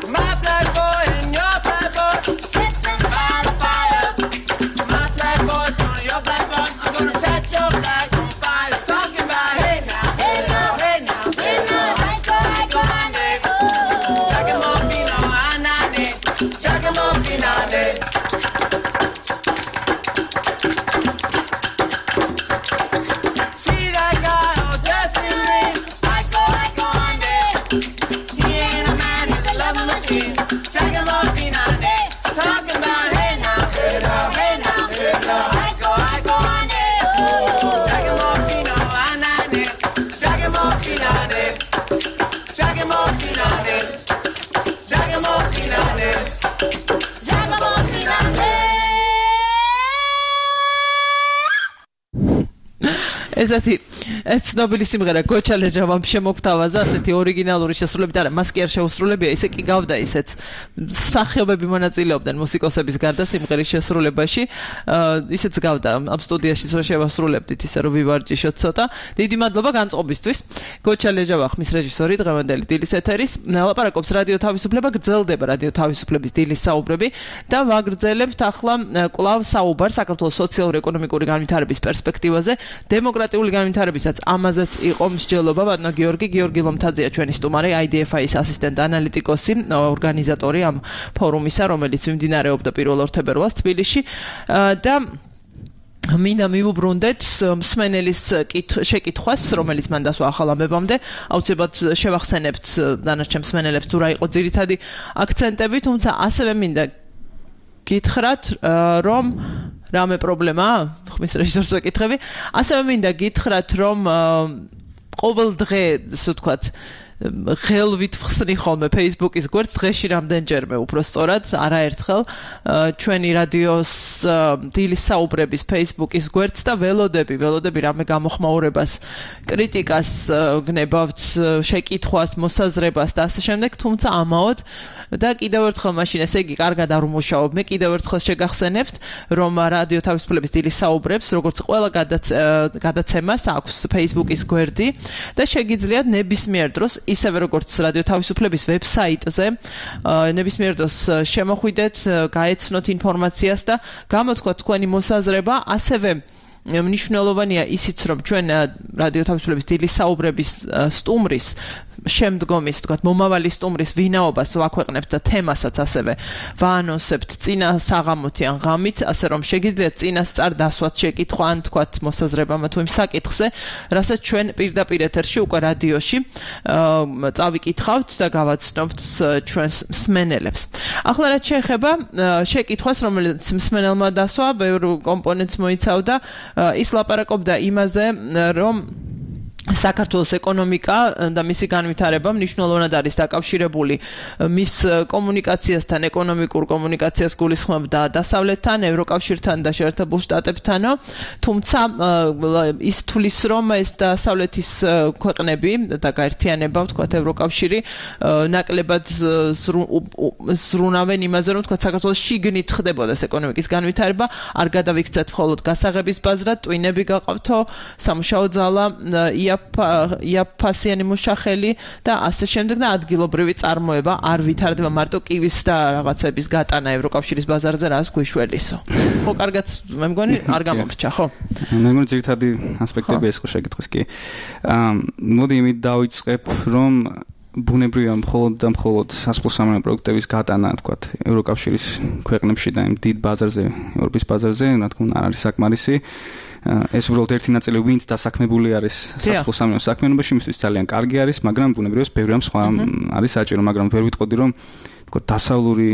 My blood boiling ესეთი ეს ცნობილი სიმღერა გოჩა ლეჟავამ შემოგთავაზა ასეთი ორიგინალური შესრულებით არა მას კი არ შეუსრულებია ისე კი გავდა ისეც სახიობები მონაწილეობდნენ მუსიკოსების გარდა სიმღერის შესრულებაში ისეც გავდა ამ სტუდიაში რომ შევასრულებდით ისე რომ ვივარჯიშოთ ცოტა დიდი მადლობა განწყობისთვის გოჩა ლეჟავა ხმის რეჟისორი დღევანდელი დილის ეთერის ლაპარაკობს რადიო თავისუფლება გრძელდება რადიო თავისუფლების დილის საუბრები და ვაგრძელებთ ახლა კვლავ საუბარს საქართველოს სოციალურ-ეკონომიკური განვითარების პერსპექტივაზე დემოკრატიული განვითარებისაც ამაზეც იყო მსჯელობა ბატონო გიორგი გიორგი ლომთაძეა ჩვენი სტუმარი აი დი ეფ აის ასისტენტ ანალიტიკოსი ორგანიზატორი ამ ფორუმისა რომელიც მიმდინარეობდა პირველ ორ თებერვალს თბილისში და მინდა მივუბრუნდეთ მსმენელის შეკითხვას რომელიც მან დასვა ახალ ამბებამდე აუცილებლად შევახსენებთ დანარჩენ მსმენელებს თუ რა იყო ძირითადი აქცენტები თუმცა ასევე მინდა გითხრათ რომ რამე პრობლემაა ხმის რეჟისორს ვეკითხები ასევე მინდა გითხრათ რომ ყოველ დღე ასე ვთქვათ ხელვით ვხსნი ხოლმე Facebook-ის გვერდს დღეში რამდენჯერმე უფრო სწორად არაერთხელ ჩვენი რადიოს დილის საუბრების Facebook-ის გვერდს და ველოდები ველოდები რამე გამოხმაურებას კრიტიკას გნებავთ შეკითხვას მოსაზრებას და ასე შემდეგ თუმცა ამაოდ და კიდევ ერთხელ მაშინ ესე იგი კარგად არ უმუშაობ მე კიდევ ერთხელ შეგახსენებთ რომ რადიო თავისუფლების დილის საუბრებს როგორც ყველა გადაცემას აქვს Facebook-ის გვერდი და შეგიძლიათ ნებისმიერ დროს ისევე როგორც რადიო თავისუფლების ვებსაიტზე ნებისმიერ დროს შემოხვიდეთ, გაეცნოთ ინფორმაციას და გამოთქვათ თქვენი მოსაზრება, ასევე მნიშვნელოვანია ისიც რომ ჩვენ რადიო თავისუფლების დილის საუბრების სტუმრის შემდგომის, თქვათ, მომავალი სტუმრის ვინაობას ვაქვეყნებთ და თემასაც ასევე ვაანონსებთ წინა საღამოთი ან ღამით, ასე რომ შეგიძლიათ წინასწარ დასვათ შეკითხვა ან თქვათ მოსაზრება თუ იმ საკითხზე, რასაც ჩვენ პირდაპირ ეთერში უკვე რადიოში წავიკითხავთ და გავაცნობთ ჩვენს მსმენელებს. ახლა რაც შეეხება შეკითხვას, რომელიც მსმენელმა დასვა, ბევრ კომპონენტს მოიცავდა, ის ლაპარაკობდა იმაზე, რომ საქართველოს ეკონომიკა და მისი განვითარება მნიშვნელოვნად არის დაკავშირებული მის კომუნიკაციასთან, ეკონომიკურ კომუნიკაციას გულისხმობდა დასავლეთთან, ევროკავშირთან და შეერთებულ შტატებთანო, თუმცა ის თulis რომ ეს დასავლეთის ქვეყნები და გაერთიანება, ვთქვათ, ევროკავშირი ნაკლებად ზრუნავენ იმაზე, რომ ვთქვათ, საქართველოს შიგნით ხდებოდეს ეკონომიკის განვითარება, არ გადავიქცეთ მხოლოდ გასაღების ბაზრად, ტვინები გაყავთო, სამუშაო ძალა, იაფასიანი მუშახელი და ასე შემდეგ და ადგილობრივი წარმოება არ ვითარდება მარტო კივის და რაღაცების გატანა ევროკავშირის ბაზარზე რაც გვიშველისო. ხო, კარგად მე მგონი არ გამომრჩა, ხო? მე მგონი ძირითადი ასპექტები ეს ხო შეკითხვის კი. აა მოდი იმით დავიწყებ, რომ ბუნებრივია მხოლოდ და მხოლოდ სასოფლო-სამეურნეო პროდუქტების გატანა, თქვათ, ევროკავშირის ქვეყნებში და იმ დიდ ბაზარზე, ევროპის ბაზარზე, რა თქმა უნდა, არ არის საკმარისი. ეს უბრალოდ ერთი ნაწილი ვინც დასაქმებული არის სასოფლო-სამეურნეო საქმიანობაში, მისთვის ძალიან კარგი არის, მაგრამ ბუნებრივია ბევრი ამ სხვა არის საჭირო, მაგრამ ვერ ვიტყოდი რომ თქო დასავლური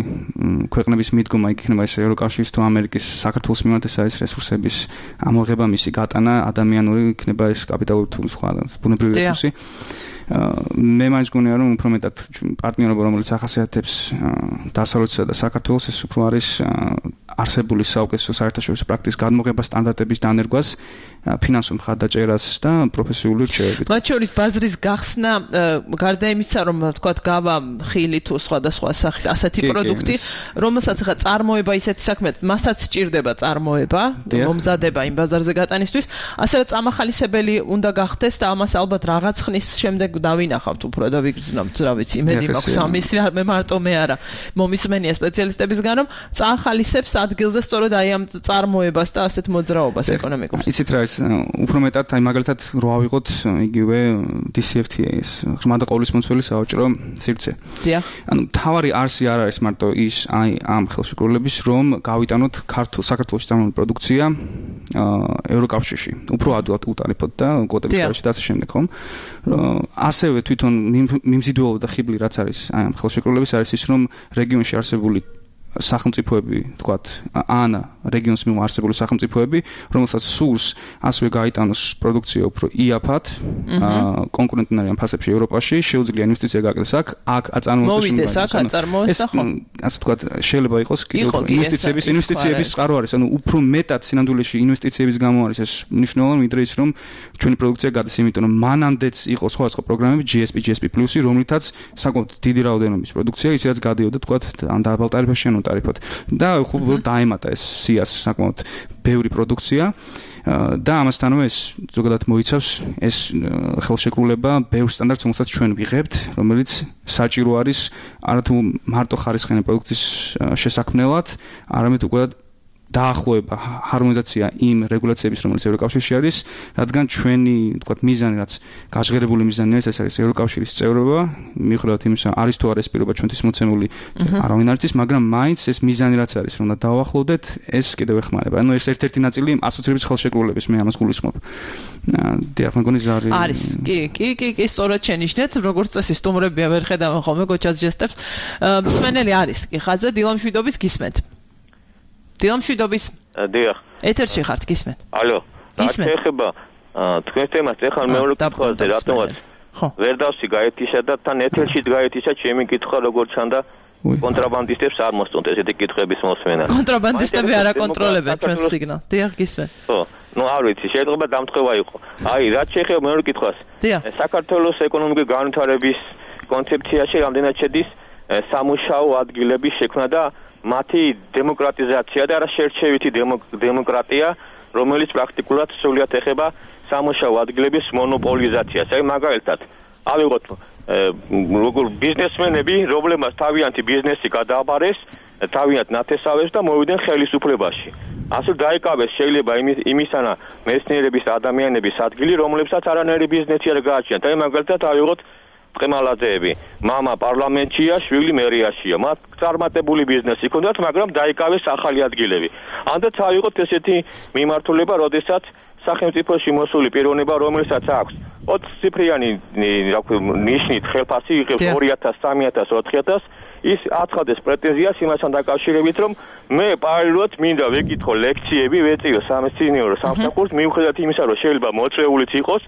ქვეყნების მიდგომა იქნება ეს ევროკავშირის თუ ამერიკის საქართველოს მიმართ ეს არის რესურსების ამოღება, მისი გატანა, ადამიანური იქნება ეს კაპიტალური თუ სხვა ბუნებრივი რესურსი. მე მაინც გონია რომ უფრო მეტად პარტნიორობა რომელიც ახასიათებს დასავლეთსა და საქართველოს ეს უფრო არის არსებული საუკეთესო საერთაშორისო პრაქტიკის გადმოღება სტანდარტების დანერგვას ფინანსურ მხარდაჭერას და პროფესიული რჩევებით. მათ შორის ბაზრის გახსნა გარდა იმისა რომ თქვათ გავა ხილი თუ სხვადასხვა სახის ასეთი პროდუქტი რომელსაც ხა წარმოება ისეთი საქმეა მასაც სჭირდება წარმოება მომზადება იმ ბაზარზე გატანისთვის ასევე წამახალისებელი უნდა გახდეს და ამას ალბათ რაღაც ხნის შემდეგ დავინახავთ უფრო და ვიგრძნობთ რა ვიცი იმედი მაქვს ამის მე მარტო მე არა მომისმენია სპეციალისტებისგან რომ წაახალისებს ადგილზე სწორედ აი ამ წარმოებას და ასეთ მოძრაობას ეკონომიკურ. იცით რა ის უფრო მეტად აი მაგალითად რო ავიღოთ იგივე დი სი ეფ თი ეის ღრმა და ყოვლისმომცველი საავჭრო სივრცე. დიახ. ანუ თავარი არსი არ არის მარტო ის აი ამ ხელშეკრულების რომ გავიტანოთ ქართულ საქართველოს წარმოებული პროდუქცია ევროკავშირში. უფრო ადვილად უტარიფოთ და კვოტების გარშე და ასე შემდეგ ხომ? ასევე თვითონ მიმზიდველობა და ხიბლი რაც არის აი ამ ხელშეკრულების არის ის რომ რეგიონში არსებული სახელმწიფოები, თქვათ, ან რეგიონის მიმართ არსებული სახელმწიფოები, რომელსაც სურს ასევე გაიტანოს პროდუქცია უფრო იაფად, კონკურენტნაირ ფასებში ევროპაში, შეუძლია ინვესტიცია გააკეთოს აქ, აქ აწარმოოს მოვიდეს აქ აწარმოოს და ხო. ასე ვთქვათ, შეიძლება იყოს კიდევ ინვესტიციების ინვესტიციების წყარო არის, ანუ უფრო მეტად სინამდვილეში ინვესტიციების გამო არის ეს მნიშვნელოვანი, ვიდრე ის რომ ჩვენი პროდუქცია გადის, იმიტომ რომ მანამდეც იყო სხვადასხვა პროგრამები G S P, G S P Plus-ი, რომლითაც საკმაოდ დიდი რაოდენობის პროდუქცია, ის რაც გადიოდა, თქვათ, ან დაბალ ტარიფებში, ან ტარიფად. და ხო დაემატა ეს სიას საკმაოდ ბევრი პროდუქცია. და ამასთანავე ეს ზოგადად მოიცავს ეს ხელშეკრულება ბევრ სტანდარტს, რომელსაც ჩვენ ვიღებთ, რომელიც საჭირო არის არათუ მარტო ხარისხიანი პროდუქციის შესაქმნელად, არამედ უკვე დაახლოება, ჰარმონიზაცია იმ რეგულაციების, რომელიც ევროკავშირში არის, რადგან ჩვენი, თქვათ, მიზანი, რაც გაჟღერებული მიზანი არის, ეს არის ევროკავშირის წევრობა, მიუხედავად იმისა, არის თუ არა ეს პირობა ჩვენთვის მოცემული, არავინ არ იცის, მაგრამ მაინც ეს მიზანი რაც არის, რომ დავახლოვდეთ, ეს კიდევ ეხმარება. ანუ ეს ერთ-ერთი ნაწილი ასოცირების ხელშეკრულების, მე ამას გულისხმობ. დიახ, მეგონი ზარი არის. კი, კი, კი, კი, სწორად შენიშნეთ, როგორც წესი სტუმრებია ვერ ხედავენ ხოლმე გოჩას ჟესტებს. მსმენელი არის. კი, ხაზზე დილამშვიდობის გისმენთ. დილამშვიდობის. დიახ. ეთერში ხართ, გისმენთ. ალო. გისმენთ. ეხება თქვენ თემას ეხლა მეორე კითხვაზე რატომაც ვერ დავსი გაეთიშა და თან ეთერში გაეთიშა ჩემი კითხვა როგორ ჩანდა კონტრაბანდისტებს არ მოსწონთ ესეთი კითხვების მოსმენა. კონტრაბანდისტები არ აკონტროლებენ ჩვენს სიგნალს. დიახ, გისმენთ. ხო. ну არ ვიცი, შეიძლება დამთხევა იყო. აი, რაც შეეხება მეორე კითხვას. საქართველოს ეკონომიკური განვითარების კონცეფციაში რამდენად შედის სამუშაო ადგილების შექმნა და მათი დემოკრატიზაცია და არა შერჩევითი დემოკრატია, რომელიც პრაქტიკულად სრულიად ეხება სამუშაო ადგილების მონოპოლიზაციას. აი მაგალითად, ავიღოთ როგორ ბიზნესმენები, რომლებმაც თავიანთი ბიზნესი გადააბარეს, თავიანთ ნათესავებს და მოვიდნენ ხელისუფლებაში. ასე დაიკავეს შეიძლება იმისანა მეცნიერების ადამიანების ადგილი, რომლებსაც არანაირი ბიზნესი არ გააჩნიათ. აი მაგალითად, ავიღოთ ყემალაძეები, мама პარლამენტშია, შვილი მერიაშია. მათ წარმატებული ბიზნესი ჰქონდათ, მაგრამ დაიკავეს ახალი ადგილები. ანდაც ავიღოთ ესეთი მიმართულება, როდესაც სახელმწიფოში მოსული პიროვნება, რომელსაც აქვს ოც ციფრიანი ნიშნით ხელფასი იღებს ორი ათას, სამი ათას, ოთხი ათას, ის აცხადეს პრეტენზიას იმასთან დაკავშირებით, რომ მე პარალელურად მინდა ვეკითხო ლექციები, ვეწიო სამეცნიერო სამსახურს, მიუხედავად იმისა, რომ შეიძლება მოწვეულიც იყოს,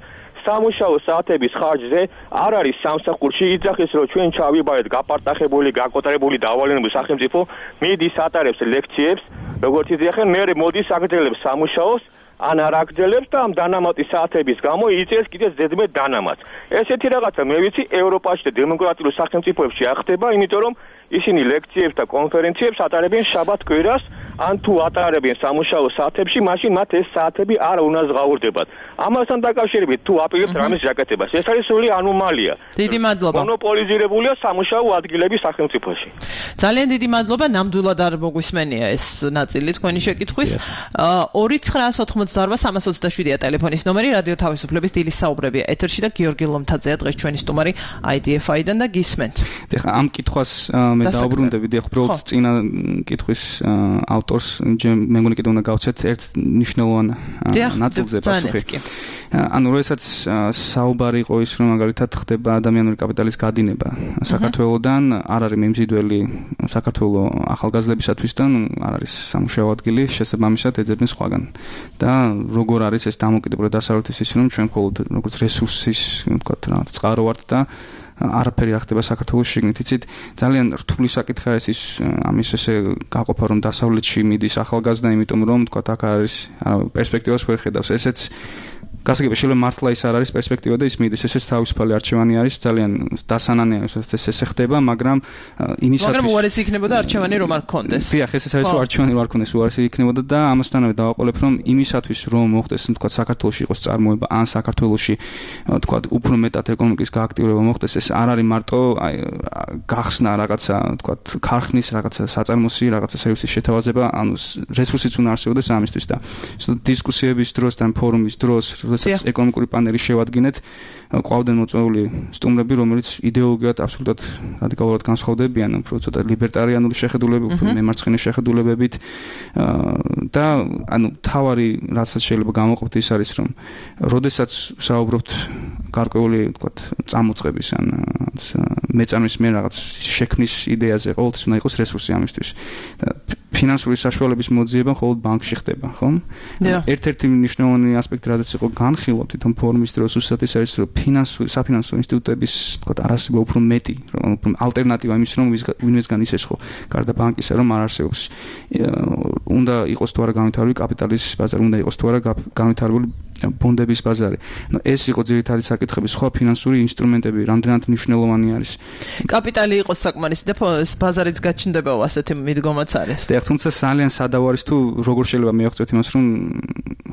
სამუშაო საათების ხარჯზე არ არის სამსახურში იძახის, რომ ჩვენ ჩავიბარეთ გაპარტახებული, გაკოტრებული დავალენებული სახელმწიფო მიდის ატარებს ლექციებს, როგორც იძახენ, მე მოდის აგრძელებს სამუშაოს, ან არ აგრძელებს და ამ დანამატის საათების გამო იწერს კიდევ ზედმეტ დანამატს. ესეთი რაღაცა მე ვიცი ევროპაში და დემოკრატიულ სახელმწიფოებში არ ხდება, იმიტომ რომ ისინი ლექციებს და კონფერენციებს ატარებენ შაბათ კვირას, ან თუ ატარებენ სამუშაო საათებში, მაშინ მათ ეს საათები არ უნდა ზღაურდებათ. ამასთან დაკავშირებით თუ აპირებთ რამის ჟაკეთებას, ეს არის სრული ანომალია. დიდი მადლობა. მონოპოლიზირებულია სამუშაო ადგილები სახელმწიფოში. ძალიან დიდი მადლობა, ნამდვილად არ მოგვისმენია ეს ნაწილი თქვენი შეკითხვის. ორი ცხრაას ოთხმოცდაორვა სამას ოცდაშვიდია ტელეფონის ნომერი, რადიო თავისუფლების დილის საუბრებია ეთერში და გიორგი ლომთაძეა დღეს ჩვენი სტუმარი I D F I-დან და გისმენთ. ეხლა ამ კითხვას მე დაუბრუნდები, ეხლა უბრალოდ წინა კითხვის ავტორს მე მგონი კიდევ უნდა გავცეთ ერთ მნიშვნელოვან ნაწილზე პასუხი. ანუ როდესაც საუბარი იყო ის, რომ მაგალითად ხდება ადამიანური კაპიტალის გადინება საქართველოსდან, არ არის მიმზიდველი საქართველოს ახალგაზრდებისათვის და არ არის სამუშაო ადგილი, შესაბამისად ეძებენ სხვაგან. და როგორ არის ეს დამოკიდებული დასავლეთის ის, რომ ჩვენ მხოლოდ როგორც რესურსის, ვთქვათ, რაღაც წყარო ვართ და არაფერი არ ხდება საქართველოს შიგნით. იცით, ძალიან რთული საკითხი არის ის ამის ესე გაყოფა, რომ დასავლეთში მიდის ახალგაზრდა, იმიტომ რომ ვთქვათ, აქ არის პერსპექტივას ვერ ხედავს. ესეც გასაგებია, შეიძლება მართლა ის არ არის პერსპექტივა და ის მიდის, ესეც თავისუფალი არჩევანი არის, ძალიან დასანანია, ეს ესე ხდება, მაგრამ იმისათვის მაგრამ უარესი იქნებოდა არჩევანი რომ არ გქონდეს. დიახ, ესეც არის, რომ არჩევანი არ გქონდეს, უარესი იქნებოდა და ამასთანავე დავაყოლებ, რომ იმისათვის რომ მოხდეს, თქვათ, საქართველოში იყოს წარმოება, ან საქართველოში, თქვათ, უფრო მეტად ეკონომიკის გააქტიურება მოხდეს, ეს არ არის მარტო აი გახსნა რაღაცა, თქვათ, ქარხნის რაღაცა საწარმოსი, რაღაცა სერვისის შეთავაზება, ანუ რესურსიც უნდა არსებობდეს ამისთვის და დისკუსიების დროს და ფორუმის დროს როდესაც ეკონომიკური პანელი შევადგინეთ, ყავდნენ მოწვეული სტუმრები, რომელიც იდეოლოგიურად აბსოლუტურად რადიკალურად განსხვავდებიან, უფრო ცოტა ლიბერტარიანული შეხედულებები, უფრო მემარცხენე შეხედულებებით და ანუ თავარი რასაც შეიძლება გამოყოფთ ის არის, რომ როდესაც საუბრობთ გარკვეული, ვთქვათ, წამოწყების ან მეწარმის მიერ რაღაც შექმნის იდეაზე, ყოველთვის უნდა იყოს რესურსი ამისთვის. ფინანსური საშუალების მოძიება მხოლოდ ბანკში ხდება, ხო? ერთ-ერთი მნიშვნელოვანი ასპექტი, რაც იყო განხილვა თვითონ ფორუმის დროს უბრალოდ ის არის, რომ ფინანსური საფინანსო ინსტიტუტების, თქვა, არასება უფრო მეტი, უფრო ალტერნატივა იმის, რომ ვინმესგან ისე ხო, გარდა ბანკისა, რომ არ არსებობს. უნდა იყოს თუ არა განვითარებული კაპიტალის ბაზარი, უნდა იყოს თუ არა განვითარებული ბონდების ბაზარი. ნუ ეს იყო ძირითადი საკითხები, სხვა ფინანსური ინსტრუმენტები რამდენად მნიშვნელოვანი არის. კაპიტალი იყოს საკმარისი და ბაზარიც გაჩნდებაო ასეთი მიდგომაც არის. და თუმცა ძალიან სადავ არის თუ როგორ შეიძლება მიაღწევთ იმას, რომ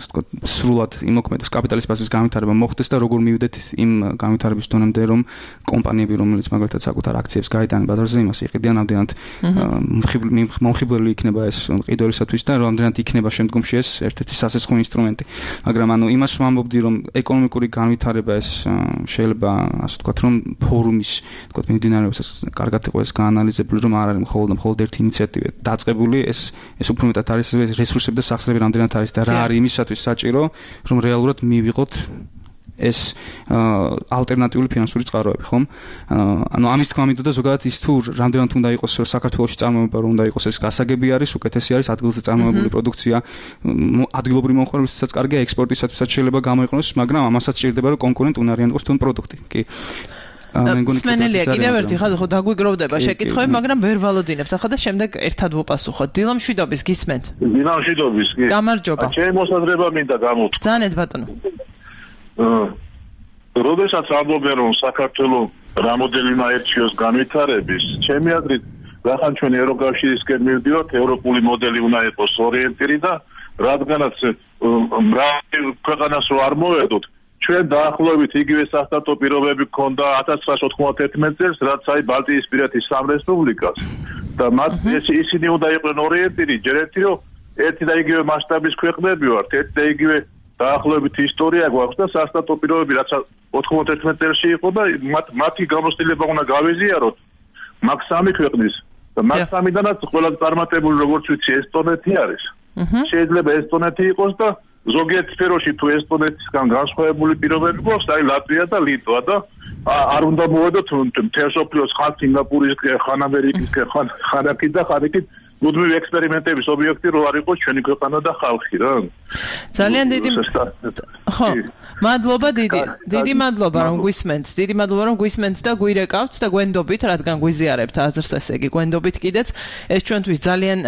ასე ვთქვათ, სრულად იმოქმედოს კაპიტალის ბაზრის განვითარება მოხდეს და როგორ მივიდეთ იმ განვითარების დონემდე, რომ კომპანიები, რომელიც მაგალითად საკუთარ აქციებს გაიტანენ ბაზარზე, იმას იყიდიან, რამდენად მომხიბლელი იქნება ეს ყიდულისათვის და რამდენად იქნება შემდგომში ეს ერთ-ერთი სასაცხო ინსტრუმენტი. მაგრამ ანუ იმას ვამბობდი, რომ ეკონომიკური განვითარება ეს შეიძლება ასე ვთქვათ, რომ ფორუმის ვთქვათ მიმდინარეობასაც კარგად იყო ეს გაანალიზებული, რომ არ არის მხოლოდ მხოლოდ ერთი ინიციატივა დაწყებული, ეს ეს უფრო მეტად არის რესურსები და სახსრები რამდენად არის და რა არის იმისათვის საჭირო, რომ რეალურად მივიღოთ ეს ალტერნატიული ფინანსური წყაროები, ხომ? ანუ ამის თქმა მინდოდა ზოგადად ის თუ რამდენად უნდა იყოს საქართველოში წარმოება, რომ უნდა იყოს ეს გასაგები არის, უკეთესი არის ადგილზე წარმოებული პროდუქცია, ადგილობრივი მომხმარებლისთვისაც კარგია, ექსპორტისათვისაც შეიძლება გამოიყენოს, მაგრამ ამასაც სჭირდება რომ კონკურენტ უნარიანი იყოს თუნ პროდუქტი. კი. სმენელია კიდევ ერთი ხაზი ხო დაგვიგროვდება შეკითხვები, მაგრამ ვერ ვალოდინებთ ახლა და შემდეგ ერთად ვუპასუხოთ. დილა მშვიდობის გისმენთ? დილა მშვიდობის კი. გამარჯობა. ჩემი მოსაზრება მინდა გამოვთქვა. ძანეთ ბატონო. როდესაც ამბობენ რომ საქართველოს რამოდენიმე მაერჩიოს განვითარების, ჩემი აზრით, რახან ჩვენ ევროკავშირისკენ მივდივართ, ევროპული მოდელი უნდა იყოს ორიენტირი და რადგანაც მრავალი ქვეყანას რო არ მოვედოთ, ჩვენ დაახლოებით იგივე სასტარტო პირობები გქონდა ათას ცხრაასი ოთხმოცდაათი წელს, რაც აი ბალტიისპირეთის სამ რესპუბლიკას და მათ ისინი უნდა იყვნენ ორიენტირი, ჯერ ერთი რომ ერთი და იგივე მასშტაბის ქვეყნები ვართ, ერთი და იგივე დაახლოებით ისტორია გვაქვს და სასტარტო პირობები რაც ოთხმოცდაერთმეტ წელში იყო და მათი გამოცდილება უნდა გავეზიაროთ მაგ სამი ქვეყნის და მაგ სამიდანაც ყველაზე წარმატებული როგორც ვიცი ესტონეთი არის. შეიძლება ესტონეთი იყოს და ზოგიერთ სფეროში თუ ესტონეთისგან განსხვავებული პირობები გვაქვს, აი ლატვია და ლიტვა და არ უნდა მოვედოთ მთელ მსოფლიოს ხან სინგაპურის, ხან ამერიკის, ხან ხანაკი და ხანაკით მუდმივი ექსპერიმენტების ობიექტი რო არ იყოს ჩვენი ქვეყანა და ხალხი რა. ძალიან დიდი ხო, მადლობა დიდი. დიდი მადლობა რომ გვისმენთ. დიდი მადლობა რომ გვისმენთ და გვირეკავთ და გვენდობით, რადგან გვიზიარებთ აზრს ესე იგი. გვენდობით კიდეც ეს ჩვენთვის ძალიან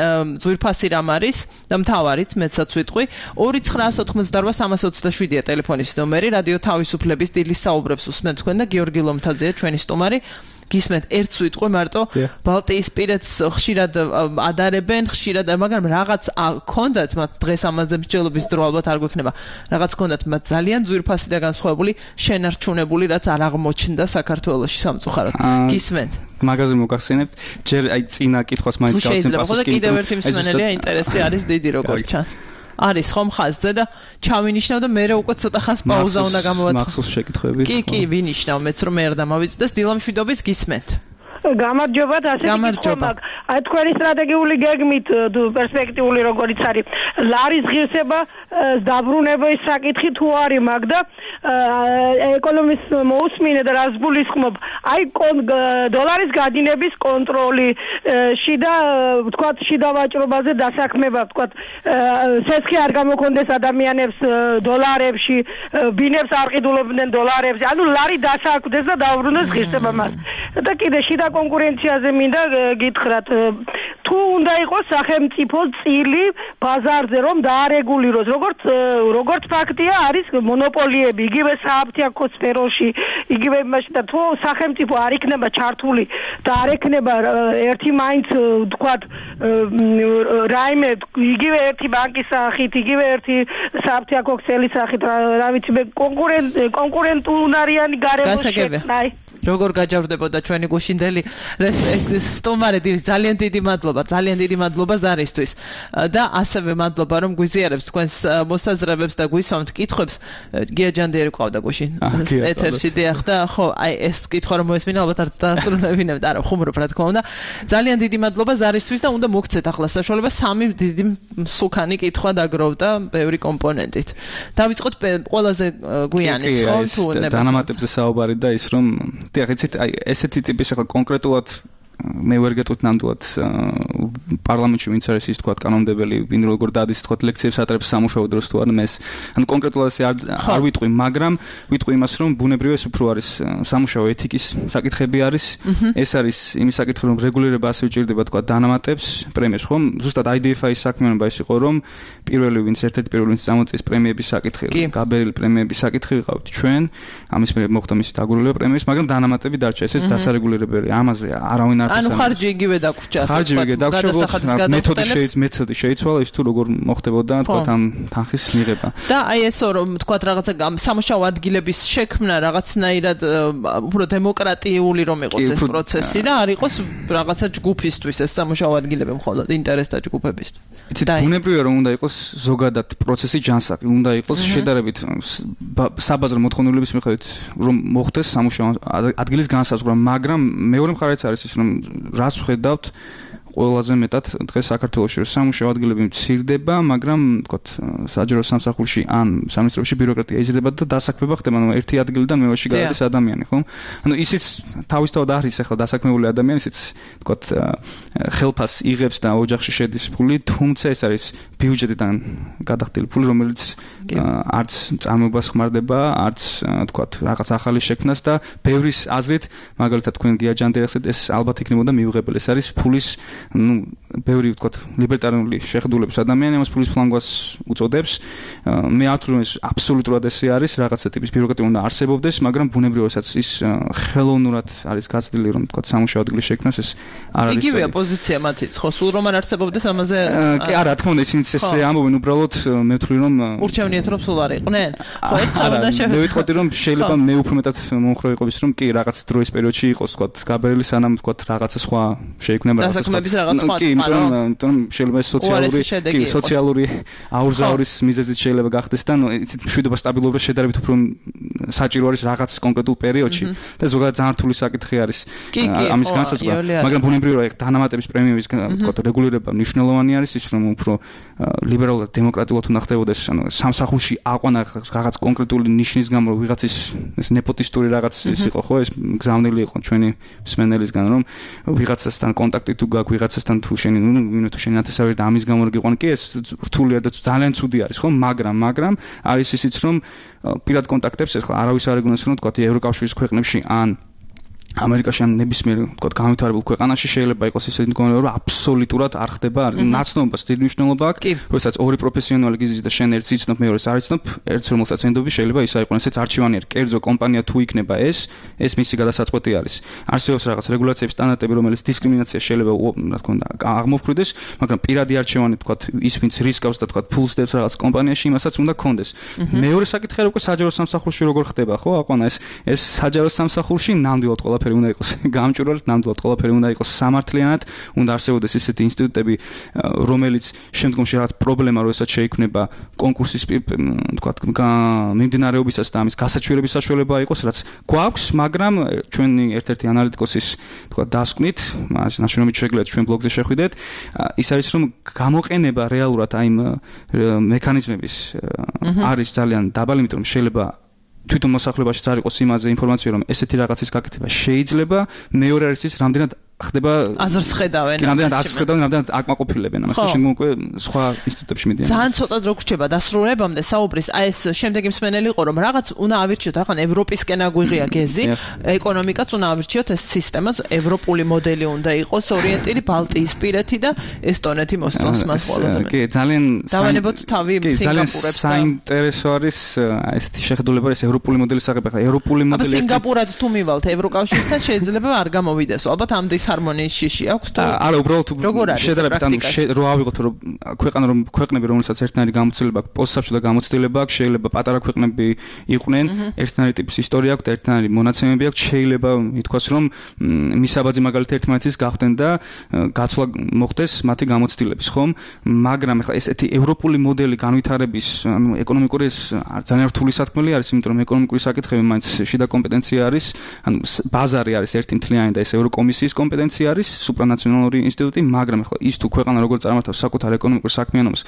ძვირფასი რამ არის და მთავარიც მეცაც ვიტყვი. ორი ცხრაასი ოთხმოცდაოთხ სამას ოცდაშვიდია ტელეფონის ნომერი. რადიო თავისუფლების დილის საუბრებს უსმენთ თქვენ და გიორგი ლომთაძეა ჩვენი სტუმარი. გისმენთ ერთს ვიტყვი მარტო ბალტიისპირეთს ხშირად ადარებენ, ხშირად, მაგრამ რაღაც ქონდათ მათ დღეს ამაზე მსჯელობის დრო ალბათ არ გვექნება. რაღაც ქონდათ მათ ძალიან ძვირფასი და განსხვავებული შენარჩუნებული, რაც არ აღმოჩნდა საქართველოში სამწუხაროდ. გისმენთ? მაგაზე მოგახსენებთ, ჯერ აი წინა კითხვას მაინც გავცემ პასუხს. ხო, კიდევ ერთი მსმენელია ინტერესი არის დიდი როგორც ჩანს. არის ხომ ხაზზე და ჩავინიშნავ და მე უკვე ცოტა ხანს პაუზა უნდა გამოვაცხადო. მახსოვს შეკითხვები. კი, კი, ვინიშნავ, მეც რომ მე არ დამავიწყდეს. დილა მშვიდობის გისმენთ? გამარჯობათ, ასე გამარჯობა. აი თქვენი სტრატეგიული გეგმით პერსპექტიული როგორიც არის ლარის ღირსება დაბრუნების საკითხი თუ არის მაგ და ეკონომის მოусმინე და რას გულისხმობ აი დოლარის გადინების კონტროლი შიდა ვთქვათ შიდა ვაჭრობაზე დასაქმება ვთქვათ სესხი არ გამოქონდეს ადამიანებს დოლარებში ბინებს არ ყიდულობდნენ დოლარებში ანუ ლარი დასაქმდეს და დაუბრუნდეს ღირსება მას და კიდე შიდა კონკურენციაზე მინდა გითხრათ თუ უნდა იყოს სახელმწიფო წილი ბაზარზე რომ დაარეგულიროს როგორც როგორც ფაქტია არის მონოპოლიები იგივე სააფთიაქო სფეროში იგივე იმაში და თუ სახელმწიფო არ იქნება ჩართული და არ ექნება ერთი მაინც ვთქვათ რაიმე იგივე ერთი ბანკის სახით იგივე ერთი სააფთიაქო ქსელის სახით რა ვიცი მე კონკურენტ კონკურენტუნარიანი გარემოში აი როგორ გაჯავდებოდა ჩვენი გუშინდელი სტუმარი ძალიან დიდი მადლობა ძალიან დიდი მადლობა ზარისთვის და ასევე მადლობა რომ გვიზიარებს თქვენს მოსაზრებებს და გვისვამთ კითხვებს გია ჯანდიერი ყავდა გუშინ ეთერში დიახ და ხო აი ეს კითხვა რომ მოესმინა ალბათ არც დაასრულებინებთ არა ხუმრობ რა თქმა უნდა ძალიან დიდი მადლობა ზარისთვის და უნდა მოგცეთ ახლა საშუალება სამი დიდი მსუქანი კითხვა დაგროვდა ბევრი კომპონენტით დავიწყოთ ყველაზე გვიანით ხო თუ დანამატებზე საუბარი და ის რომ დიახ, იცით, აი ესეთი ტიპის ახლა კონკრეტულად მე ვერ გეტყვით ნამდვილად პარლამენტში ვინც არის ის თქვა კანონმდებელი, ვინ როგორ დადის თქვა ლექციებს ატარებს სამუშაო დროს თუ არა ეს. ანუ კონკრეტულად ეს არ ვიტყვი, მაგრამ ვიტყვი იმას, რომ ბუნებრივია ეს უფრო არის სამუშაო ეთიკის საკითხები არის. ეს არის იმის საკითხი, რომ რეგულირება ასე უჭირდება თქვა დანამატებს, პრემიებს, ხომ? ზუსტად აი დი ეფ აის საქმიანობა ის იყო, რომ პირველი ვინც ერთ-ერთი პირველი ვინც წამოწეს პრემიების საკითხი, გაბერილი პრემიების საკითხი ვიყავთ ჩვენ. ამის მე მოხდა მისი დაგურულება პრემიების, მაგრამ დანამატები დარჩა, ესეც დასარეგულირებელი. ამაზე არავინ არ ანუ ხარჯი იგივე დაგვრჩა, ასე ვთქვათ, გადასახადის გადაწყვეტილებას. მეთოდი მეთოდი შეიცვალა ის თუ როგორ მოხდებოდა თქვათ ამ თანხის მიღება. და აი ესო რომ თქვათ რაღაცა სამუშაო ადგილების შექმნა რაღაცნაირად უფრო დემოკრატიული რომ იყოს ეს პროცესი და არ იყოს რაღაცა ჯგუფისთვის ეს სამუშაო ადგილები მხოლოდ ინტერესთა ჯგუფებისთვის. იცით, ბუნებრივია რომ უნდა იყოს ზოგადად პროცესი ჯანსაღი, უნდა იყოს შედარებით საბაზრო მოთხოვნილების მიხედვით რომ მოხდეს სამუშაო ადგილის განსაზღვრა, მაგრამ მეორე მხარეც არის ის რომ რას ვხედავთ ყველაზე მეტად დღეს საქართველოში რომ სამუშაო ადგილები მცირდება, მაგრამ თქოთ საჯარო სამსახურში ან სამინისტროში ბიუროკრატია იზრდება და დასაქმება ხდება, ანუ ერთი ადგილიდან მეორეში გადადის ადამიანი, ხო? ანუ ისიც თავისთავად არის ახლა დასაქმებული ადამიანი, ისიც თქოთ ხელფას იღებს და ოჯახში შედის ფული, თუმცა ეს არის ბიუჯეტიდან გადახდილი ფული, რომელიც არც წარმოებას ხმარდება, არც თქოთ რაღაც ახალი შექმნას და ბევრის აზრით, მაგალითად თქვენ გია ჯანდირახსეთ, ეს ალბათ იქნებოდა მიუღებელი. ეს არის ფულის ну, ბევრი ვთქვათ, ლიბერტარიული შეხედულების ადამიანი ამას ფულის ფლანგვას უწოდებს. მე არ თვლი, რომ ეს აბსოლუტურად ესე არის, რაღაცა ტიპის ბიუროკრატია უნდა არსებობდეს, მაგრამ ბუნებრივადაც ის ხელოვნურად არის გაცდილი, რომ ვთქვათ, სამუშაო ადგილის შექმნას ეს არ არის. იგივეა პოზიცია მათიც, ხო, სულ რომ არ არსებობდეს ამაზე. კი, არა, თქმა უნდა, ისინიც ესე ამბობენ, უბრალოდ მე ვთვლი, რომ ურჩევნიათ რომ სულ არ იყვნენ. ხო, ერთხელ უნდა შევეცდოთ. მე ვიტყოდი, რომ შეიძლება მე უფრო მეტად მომხრე ვიყოს, რომ კი, რაღაც დროის პერიოდში იყოს, ვთქვათ, გაბერილი სანამ ვთქვათ, რაღაცა სხვა შეიქმნება რაღაცა რაღაც სხვა კი, იმიტომ შეიძლება სოციალური კი, სოციალური აურზაურის მიზეზით შეიძლება გახდეს და იცით, მშვიდობა სტაბილურობა შედარებით უფრო საჭირო არის რაღაც კონკრეტულ პერიოდში და ზოგადად ძალიან რთული საკითხი არის ამის განსაზღვრა, მაგრამ ბუნებრივია დანამატების პრემიების თქო რეგულირება მნიშვნელოვანი არის ის, რომ უფრო ლიბერალურად დემოკრატიულად უნდა ხდებოდეს, ანუ სამსახურში აყვანა რაღაც კონკრეტული ნიშნის გამო ვიღაცის ეს ნეპოტისტური რაღაც ის იყო, ხო, ეს გზავნილი იყო ჩვენი მსმენელისგან, რომ ვიღაცასთან კონტაქტი თუ გაქვს ვიღაცასთან თუ შენი ნუ მინუ თუ შენი ათასავე და ამის გამო რო გიყვანი, კი ეს რთულია და ძალიან ცუდი არის, ხო, მაგრამ მაგრამ არის ისიც, რომ პირად კონტაქტებს ახლა არავის არ ეგონოს, რომ თქვა ევროკავშირის ქვეყნებში ან ამერიკაში ან ნებისმიერ თქოთ განვითარებულ ქვეყანაში შეიძლება იყოს ისეთი მდგომარეობა, რომ აბსოლუტურად არ ხდება, ნაცნობას დიდი მნიშვნელობა აქვს, როდესაც ორი პროფესიონალი გიზის და შენ ერთს იცნობ, მეორეს არ იცნობ, ერთს რომელსაც ენდობი შეიძლება ის აიყოს ეს არჩევანიერი კერძო კომპანია თუ იქნება ეს, ეს მისი გადასაწყვეტი არის. არსებობს რაღაც რეგულაციების სტანდარტები, რომელიც დისკრიმინაცია შეიძლება, რა თქმა უნდა, აღმოფხვრიდეს, მაგრამ პირადი არჩევანი თქოთ ის ვინც რისკავს და თქოთ ფულს დებს რაღაც კომპანიაში, იმასაც უნდა გქონდეს. მეორე საკითხი არის უკვე საჯარო სამსახურში როგორ ხდება, ხო? აყვანა ეს ეს საჯარო სამსახურში ნამდვილად ყველა ყველაფერი უნდა იყოს გამჭვირვალედ, ნამდვილად ყველაფერი უნდა იყოს სამართლიანად, უნდა არსებობდეს ისეთი ინსტიტუტები, რომელიც შემდგომში რაღაც პრობლემა როდესაც შეიქმნება კონკურსის თქვათ მიმდინარეობისას და ამის გასაჩვირების საშუალება იყოს, რაც გვაქვს, მაგრამ ჩვენი ერთ-ერთი ანალიტიკოსის თქვათ დასკვნით, მას ნაშრომით შეგიძლიათ ჩვენ ბლოგზე შეხვიდეთ, ის არის რომ გამოყენება რეალურად აი იმ მექანიზმების არის ძალიან დაბალი, იმიტომ რომ შეიძლება თვითონ მოსახლებაშიც არ იყოს იმაზე ინფორმაცია, რომ ესეთი რაღაცის გაკეთება შეიძლება, მეორე არის ის, რამდენად ხდება აზრს ხედავენ. კი, რამდენად აზრს ხედავენ, რამდენად აკმაყოფილებენ ამას და შემდგომ უკვე სხვა ინსტიტუტებში მიდიან. ძალიან ცოტა დრო გრჩება დასრულებამდე საუბრის, აი ეს შემდეგი მსმენელი იყო, რომ რაღაც უნდა ავირჩიოთ, რაღაც ევროპისკენ აგვიღია გეზი, ეკონომიკაც უნდა ავირჩიოთ, ეს სისტემაც ევროპული მოდელი უნდა იყოს, ორიენტირი ბალტიისპირეთი და ესტონეთი მოსწონს მას ყველაზე მეტად. კი, ძალიან დავანებოთ თავი სინგაპურებს და საინტერესო არის ესეთი შეხედულება, ეს ევროპული მოდელის აღება, ხა ევროპული მოდელი. აბა სინგაპურად თუ მივალთ ევროკავშირთან შეიძლება არ გამოვიდესო. ალბათ ამდე ჰარმონიის შიში აქვს თუ არა, უბრალოდ შედარებით ანუ რო ავიღოთ რომ ქვეყანა რომ ქვეყნები რომელსაც ერთნაირი გამოცდილება აქვს, პოსტსაბჭო და გამოცდილება აქვს, შეიძლება პატარა ქვეყნები იყვნენ, ერთნაირი ტიპის ისტორია აქვს და ერთნაირი მონაცემები აქვს, შეიძლება ითქვას რომ მისაბაძი მაგალითად ერთმანეთის გახდნენ და გაცვლა მოხდეს მათი გამოცდილების, ხომ? მაგრამ ეხლა ესეთი ევროპული მოდელი განვითარების, ანუ ეკონომიკური ეს ძალიან რთული სათქმელი არის, იმიტომ რომ ეკონომიკური საკითხები მაინც შიდა კომპეტენცია არის, ანუ ბაზარი არის ერთი მთლიანი და ეს ევროკომისიის კომპეტენცია კომპეტენცია არის სუპრანაციონალური ინსტიტუტი, მაგრამ ახლა ის თუ ქვეყანა როგორ წარმართავს საკუთარ ეკონომიკურ საქმიანობას,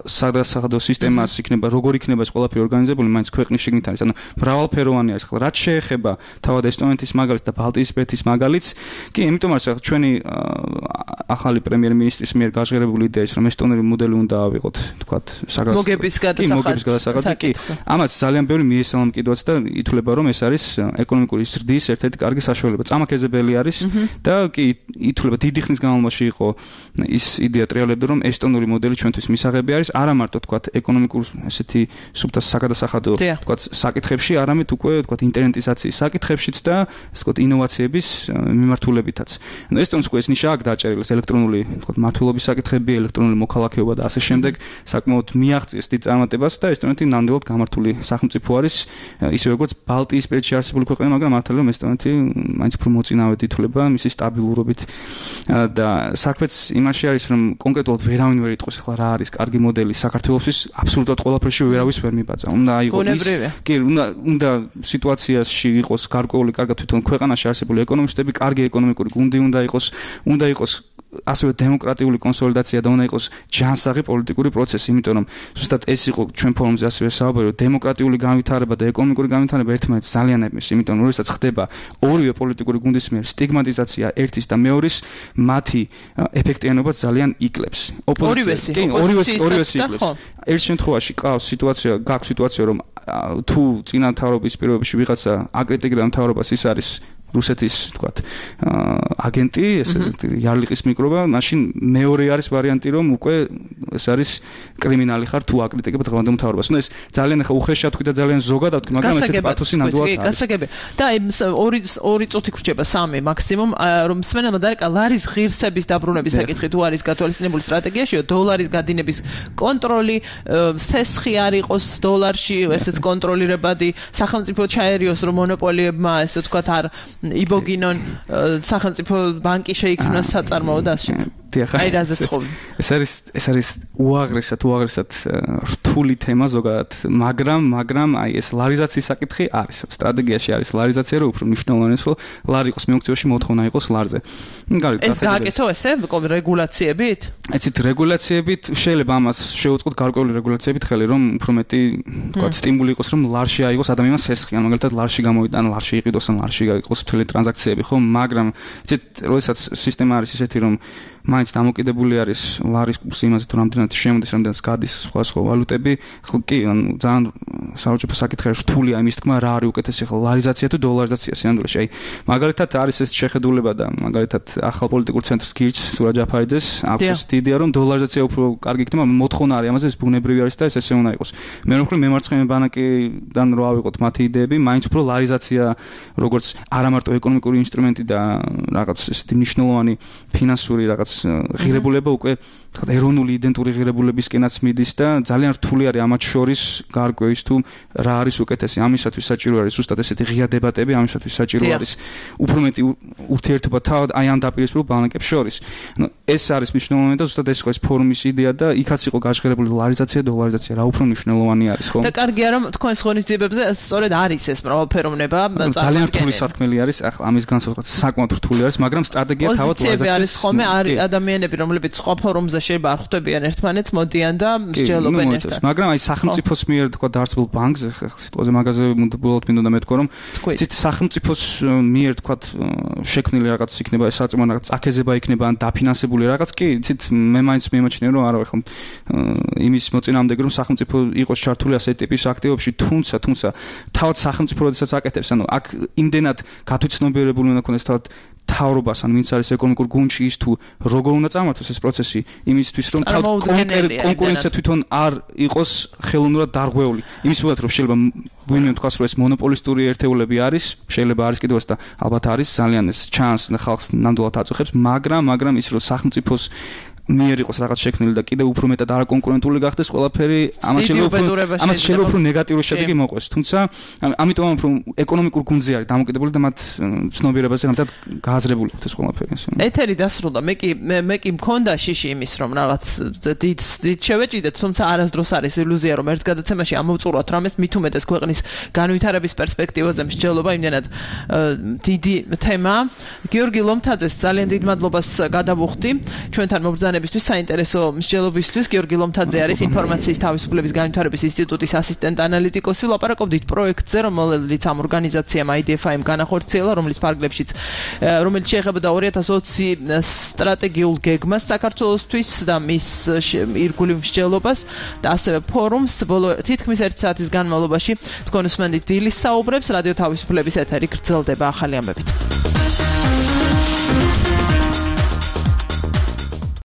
საგადასახადო სისტემას იქნება, როგორ იქნება ეს ყველაფერი ორგანიზებული, მაინც ქვეყნის შიგნით არის. ანუ მრავალფეროვანი არის. ახლა რაც შეეხება თავად ესტონეთის მაგალითს და ბალტიისპირეთის მაგალითს, კი, იმიტომ არის ახლა ჩვენი ახალი პრემიერ-მინისტრის მიერ გაჟღერებული იდეა ის, რომ ესტონური მოდელი უნდა ავიღოთ, თქვათ, საგადასახადო მოგების გადასახადზე, კი. ამაც ძალიან ბევრი მიესალმა მკიდვაც და ითვლება, რომ ეს არის ეკონომიკური ზრდის ერთ-ერთი კარგი საშუალება. წამაკეზებელი არის და კი ითვლება დიდი ხნის განმავლობაში იყო ის იდეა ტრიალებდა, რომ ესტონური მოდელი ჩვენთვის მისაღები არის, არა მარტო თქვათ ეკონომიკურ ესეთი სუბთა საგადასახადო თქვათ საკითხებში, არამედ უკვე თქვათ ინტერნეტიზაციის საკითხებშიც და ასე ვთქვათ ინოვაციების მიმართულებითაც. ანუ ესტონს უკვე ეს ნიშა აქვს დაჭერილი, ელექტრონული თქვათ მართლობის საკითხები, ელექტრონული მოქალაქეობა და ასე შემდეგ, საკმაოდ მიაღწიეს დიდ წარმატებას და ესტონეთი ნამდვილად გამართული სახელმწიფო არის, ისე როგორც ბალტიისპირეთში არსებული ქვეყანა, მაგრამ მართალია რომ ესტონეთი მაინც უფრო მოწინავედ ითვლება მისი სტაბილურობით და საქმეც იმაში არის, რომ კონკრეტულად ვერავინ ვერ იტყვის ახლა რა არის კარგი მოდელი საქართველოსთვის, აბსოლუტურად ყველაფერში ვერავის ვერ მიბაძა. უნდა იყოს ის, კი, უნდა უნდა სიტუაციაში იყოს გარკვეული კარგად თვითონ ქვეყანაში არსებული ეკონომისტები, კარგი ეკონომიკური გუნდი უნდა იყოს, უნდა იყოს ასევე დემოკრატიული კონსოლიდაცია და უნდა იყოს ჯანსაღი პოლიტიკური პროცესი, იმიტომ რომ ზუსტად ეს იყო ჩვენ ფორუმზე ასევე საუბარი, რომ დემოკრატიული განვითარება და ეკონომიკური განვითარება ერთმანეთს ძალიან ებმის, იმიტომ რომ როდესაც ხდება ორივე პოლიტიკური გუნდის მიერ სტიგმატიზაცია ერთის და მეორის, მათი ეფექტიანობა ძალიან იკლებს. ორივესი, ორივესი, ორივესი იკლებს. ერთ შემთხვევაში ყავს სიტუაცია, გაქვს სიტუაცია, რომ თუ წინა მთავრობის პირობებში ვიღაცა აკრიტიკებდა მთავრობას, ის არის რუსეთის თქვათ აგენტი, ეს იარლიყის მიკრობა, მაშინ მეორე არის ვარიანტი, რომ უკვე ეს არის კრიმინალი ხარ თუ აკრიტიკებ დღევანდელ მთავრობას. ნუ ეს ძალიან ახლა უხეშად თქვი და ძალიან ზოგადად თქვი, მაგრამ ესეთი პათოსი ნამდვილად არის. გასაგებია. და ორი ორი წუთი გრჩება, სამი მაქსიმუმ, რომ სვენელმა დარეკა ლარის ღირსების დაბრუნების საკითხი თუ არის გათვალისწინებული სტრატეგიაში, დოლარის გადინების კონტროლი, სესხი არ იყოს დოლარში, ესეც კონტროლირებადი, სახელმწიფო ჩაერიოს, რომ მონოპოლიებმა ესე ვთქვათ არ იბოგინონ სახელმწიფო ბანკი შეიქმნას საწარმოო და ასე შემდეგ. აი რაზეც ხომ. ეს არის ეს არის უაღრესად უაღრესად რთული თემა ზოგადად, მაგრამ მაგრამ აი ეს ლარიზაციის საკითხი არის. სტრატეგიაში არის ლარიზაცია, რომ უფრო მნიშვნელოვანია, რომ ლარი იყოს მეოქციოში, მოთხოვნა იყოს ლარზე. ეს გააკეთო ესე რეგულაციებით? ეცით რეგულაციებით შეიძლება ამას შევუწყოთ გარკვეული რეგულაციებით ხელი, რომ უფრო მეტი თქვათ სტიმული იყოს, რომ ლარში აიღოს ადამიანს სესხი, ან მაგალითად ლარში გამოვიდა, ან ლარში იყიდოს, ან ლარში გაიყოს მთელი ტრანზაქციები, ხო? მაგრამ ეცით როდესაც სისტემა არის ისეთი, რომ მაინც დამოკიდებული არის ლარის კურსი იმაზე, თუ რამდენად შემოდის, რამდენად გადის სხვა სხვა ვალუტები, ხო კი, ანუ ძალიან საუჭებო საკითხია, რთულია იმის თქმა, რა არის უკეთესი, ხო ლარიზაცია თუ დოლარიზაცია სინამდვილეში. აი, მაგალითად არის ეს შეხედულება და მაგალითად ახალ პოლიტიკურ ცენტრს გირჩ სურაჯ აფარიძეს, აქვს ეს იდეა, რომ დოლარიზაცია უფრო კარგი იქნება, მოთხოვნა არის ამაზე, ეს ბუნებრივი არის და ეს ესე უნდა იყოს. მე რომ ხრი მემარცხენე ბანკიდან რო ავიღოთ მათი იდეები, მაინც უფრო ლარიზაცია, როგორც არა მარტო ეკონომიკური ინსტრუმენტი და რაღაც ესეთი მნიშვნელოვანი ფინანსური რაღაც ღირებულება უკვე თქვა ეროვნული იდენტური ღირებულებისკენაც მიდის და ძალიან რთული არის ამათ შორის გარკვევის თუ რა არის უკეთესი. ამისათვის საჭირო არის ზუსტად ესეთი ღია დებატები, ამისათვის საჭირო არის უფრო მეტი ურთიერთობა თავად აი ამ დაპირისპირებულ ბანკებს შორის. ანუ ეს არის მნიშვნელოვანი და ზუსტად ეს იყო ეს ფორუმის იდეა და იქაც იყო გაჟღერებული ლარიზაცია, დოლარიზაცია, რა უფრო მნიშვნელოვანი არის, ხო? და კარგია რომ თქვენს ღონისძიებებზე სწორედ არის ეს მრავალფეროვნება, ძალიან რთული სათქმელი არის, ახლა ამის განსაკუთრებით საკმაოდ რთული არის, მაგრამ სტრატეგია თავად ლარიზაცია არის ხოლმე არის ადამიანები, რომლებიც სხვა ფორუმზე შეიძლება არ ხვდებიან ერთმანეთს, მოდიან და მსჯელობენ ერთად. მაგრამ აი სახელმწიფოს მიერ თქვა დაარსებულ ბანკზე, სიტყვაზე მაგაზე მუდმივად მინდოდა მეთქვა, რომ ცით სახელმწიფოს მიერ თქვა შექმნილი რაღაც იქნება, საწმო რაღაც წაქეზება იქნება ან დაფინანსებული რაღაც, კი, ცით მე მაინც მიმაჩნია, რომ არა ხო იმის მოწინააღმდეგე, რომ სახელმწიფო იყოს ჩართული ასეთი ტიპის აქტივობებში, თუმცა თუმცა თავად სახელმწიფო როდესაც აკეთებს, ანუ აქ იმდენად გათვითცნობიერებული უნდა ქონდეს თავად თავრობას ან ვინც არის ეკონომიკურ გუნდში ის თუ როგორ უნდა წარმართოს ეს პროცესი იმისთვის რომ კონკურენცია თვითონ არ იყოს ხელოვნურად დარღვეული იმის მიმართ რომ შეიძლება ვინმე თქვას რომ ეს მონოპოლისტური ერთეულები არის შეიძლება არის კიდევაც და ალბათ არის ძალიან ეს ჩანს და ხალხს ნამდვილად აწუხებს მაგრამ მაგრამ ის რომ სახელმწიფოს მიერ იყოს რაღაც შექმნილი და კიდევ უფრო მეტად არაკონკურენტული გახდეს ყველაფერი, ამას შეიძლება ამას შეიძლება უფრო ნეგატიური შედეგი მოყვეს. თუმცა ამიტომ უფრო ეკონომიკურ გუნდზე არის დამოკიდებული და მათ ცნობიერებაზე რამდენად გააზრებული აქვს ეს ყველაფერი. ეთერი დასრულდა. მე კი მე კი მქონდა შიში იმის რომ რაღაც დიდ დიდ შევეჭიდეთ, თუმცა არასდროს არის ილუზია რომ ერთ გადაცემაში ამოვწურვათ რამეს მით უმეტეს ქვეყნის განვითარების პერსპექტივაზე მსჯელობა, იმდენად დიდი თემა. გიორგი ლომთაძეს ძალიან დიდ მადლობას გადავუხდი ჩვენთან მობრძანებისთვის, საინტერესო მსჯელობისთვის. გიორგი ლომთაძე არის ინფორმაციის თავისუფლების განვითარების ინსტიტუტის ასისტენტ ანალიტიკოსი. ვლაპარაკობდით პროექტზე, რომელიც ამ ორგანიზაციამ აი დი ეფ აიმ განახორციელა, რომლის ფარგლებშიც რომელიც შეეხებოდა ორი ათას ოცი სტრატეგიულ გეგმას საქართველოსთვის და მის ირგვლივ მსჯელობას და ასევე ფორუმს. ბოლო თითქმის ერთი საათის განმავლობაში თქვენ უსმენთ დილის საუბრებს. რადიო თავისუფლების ეთერი გრძელდება ახალი ამბებით.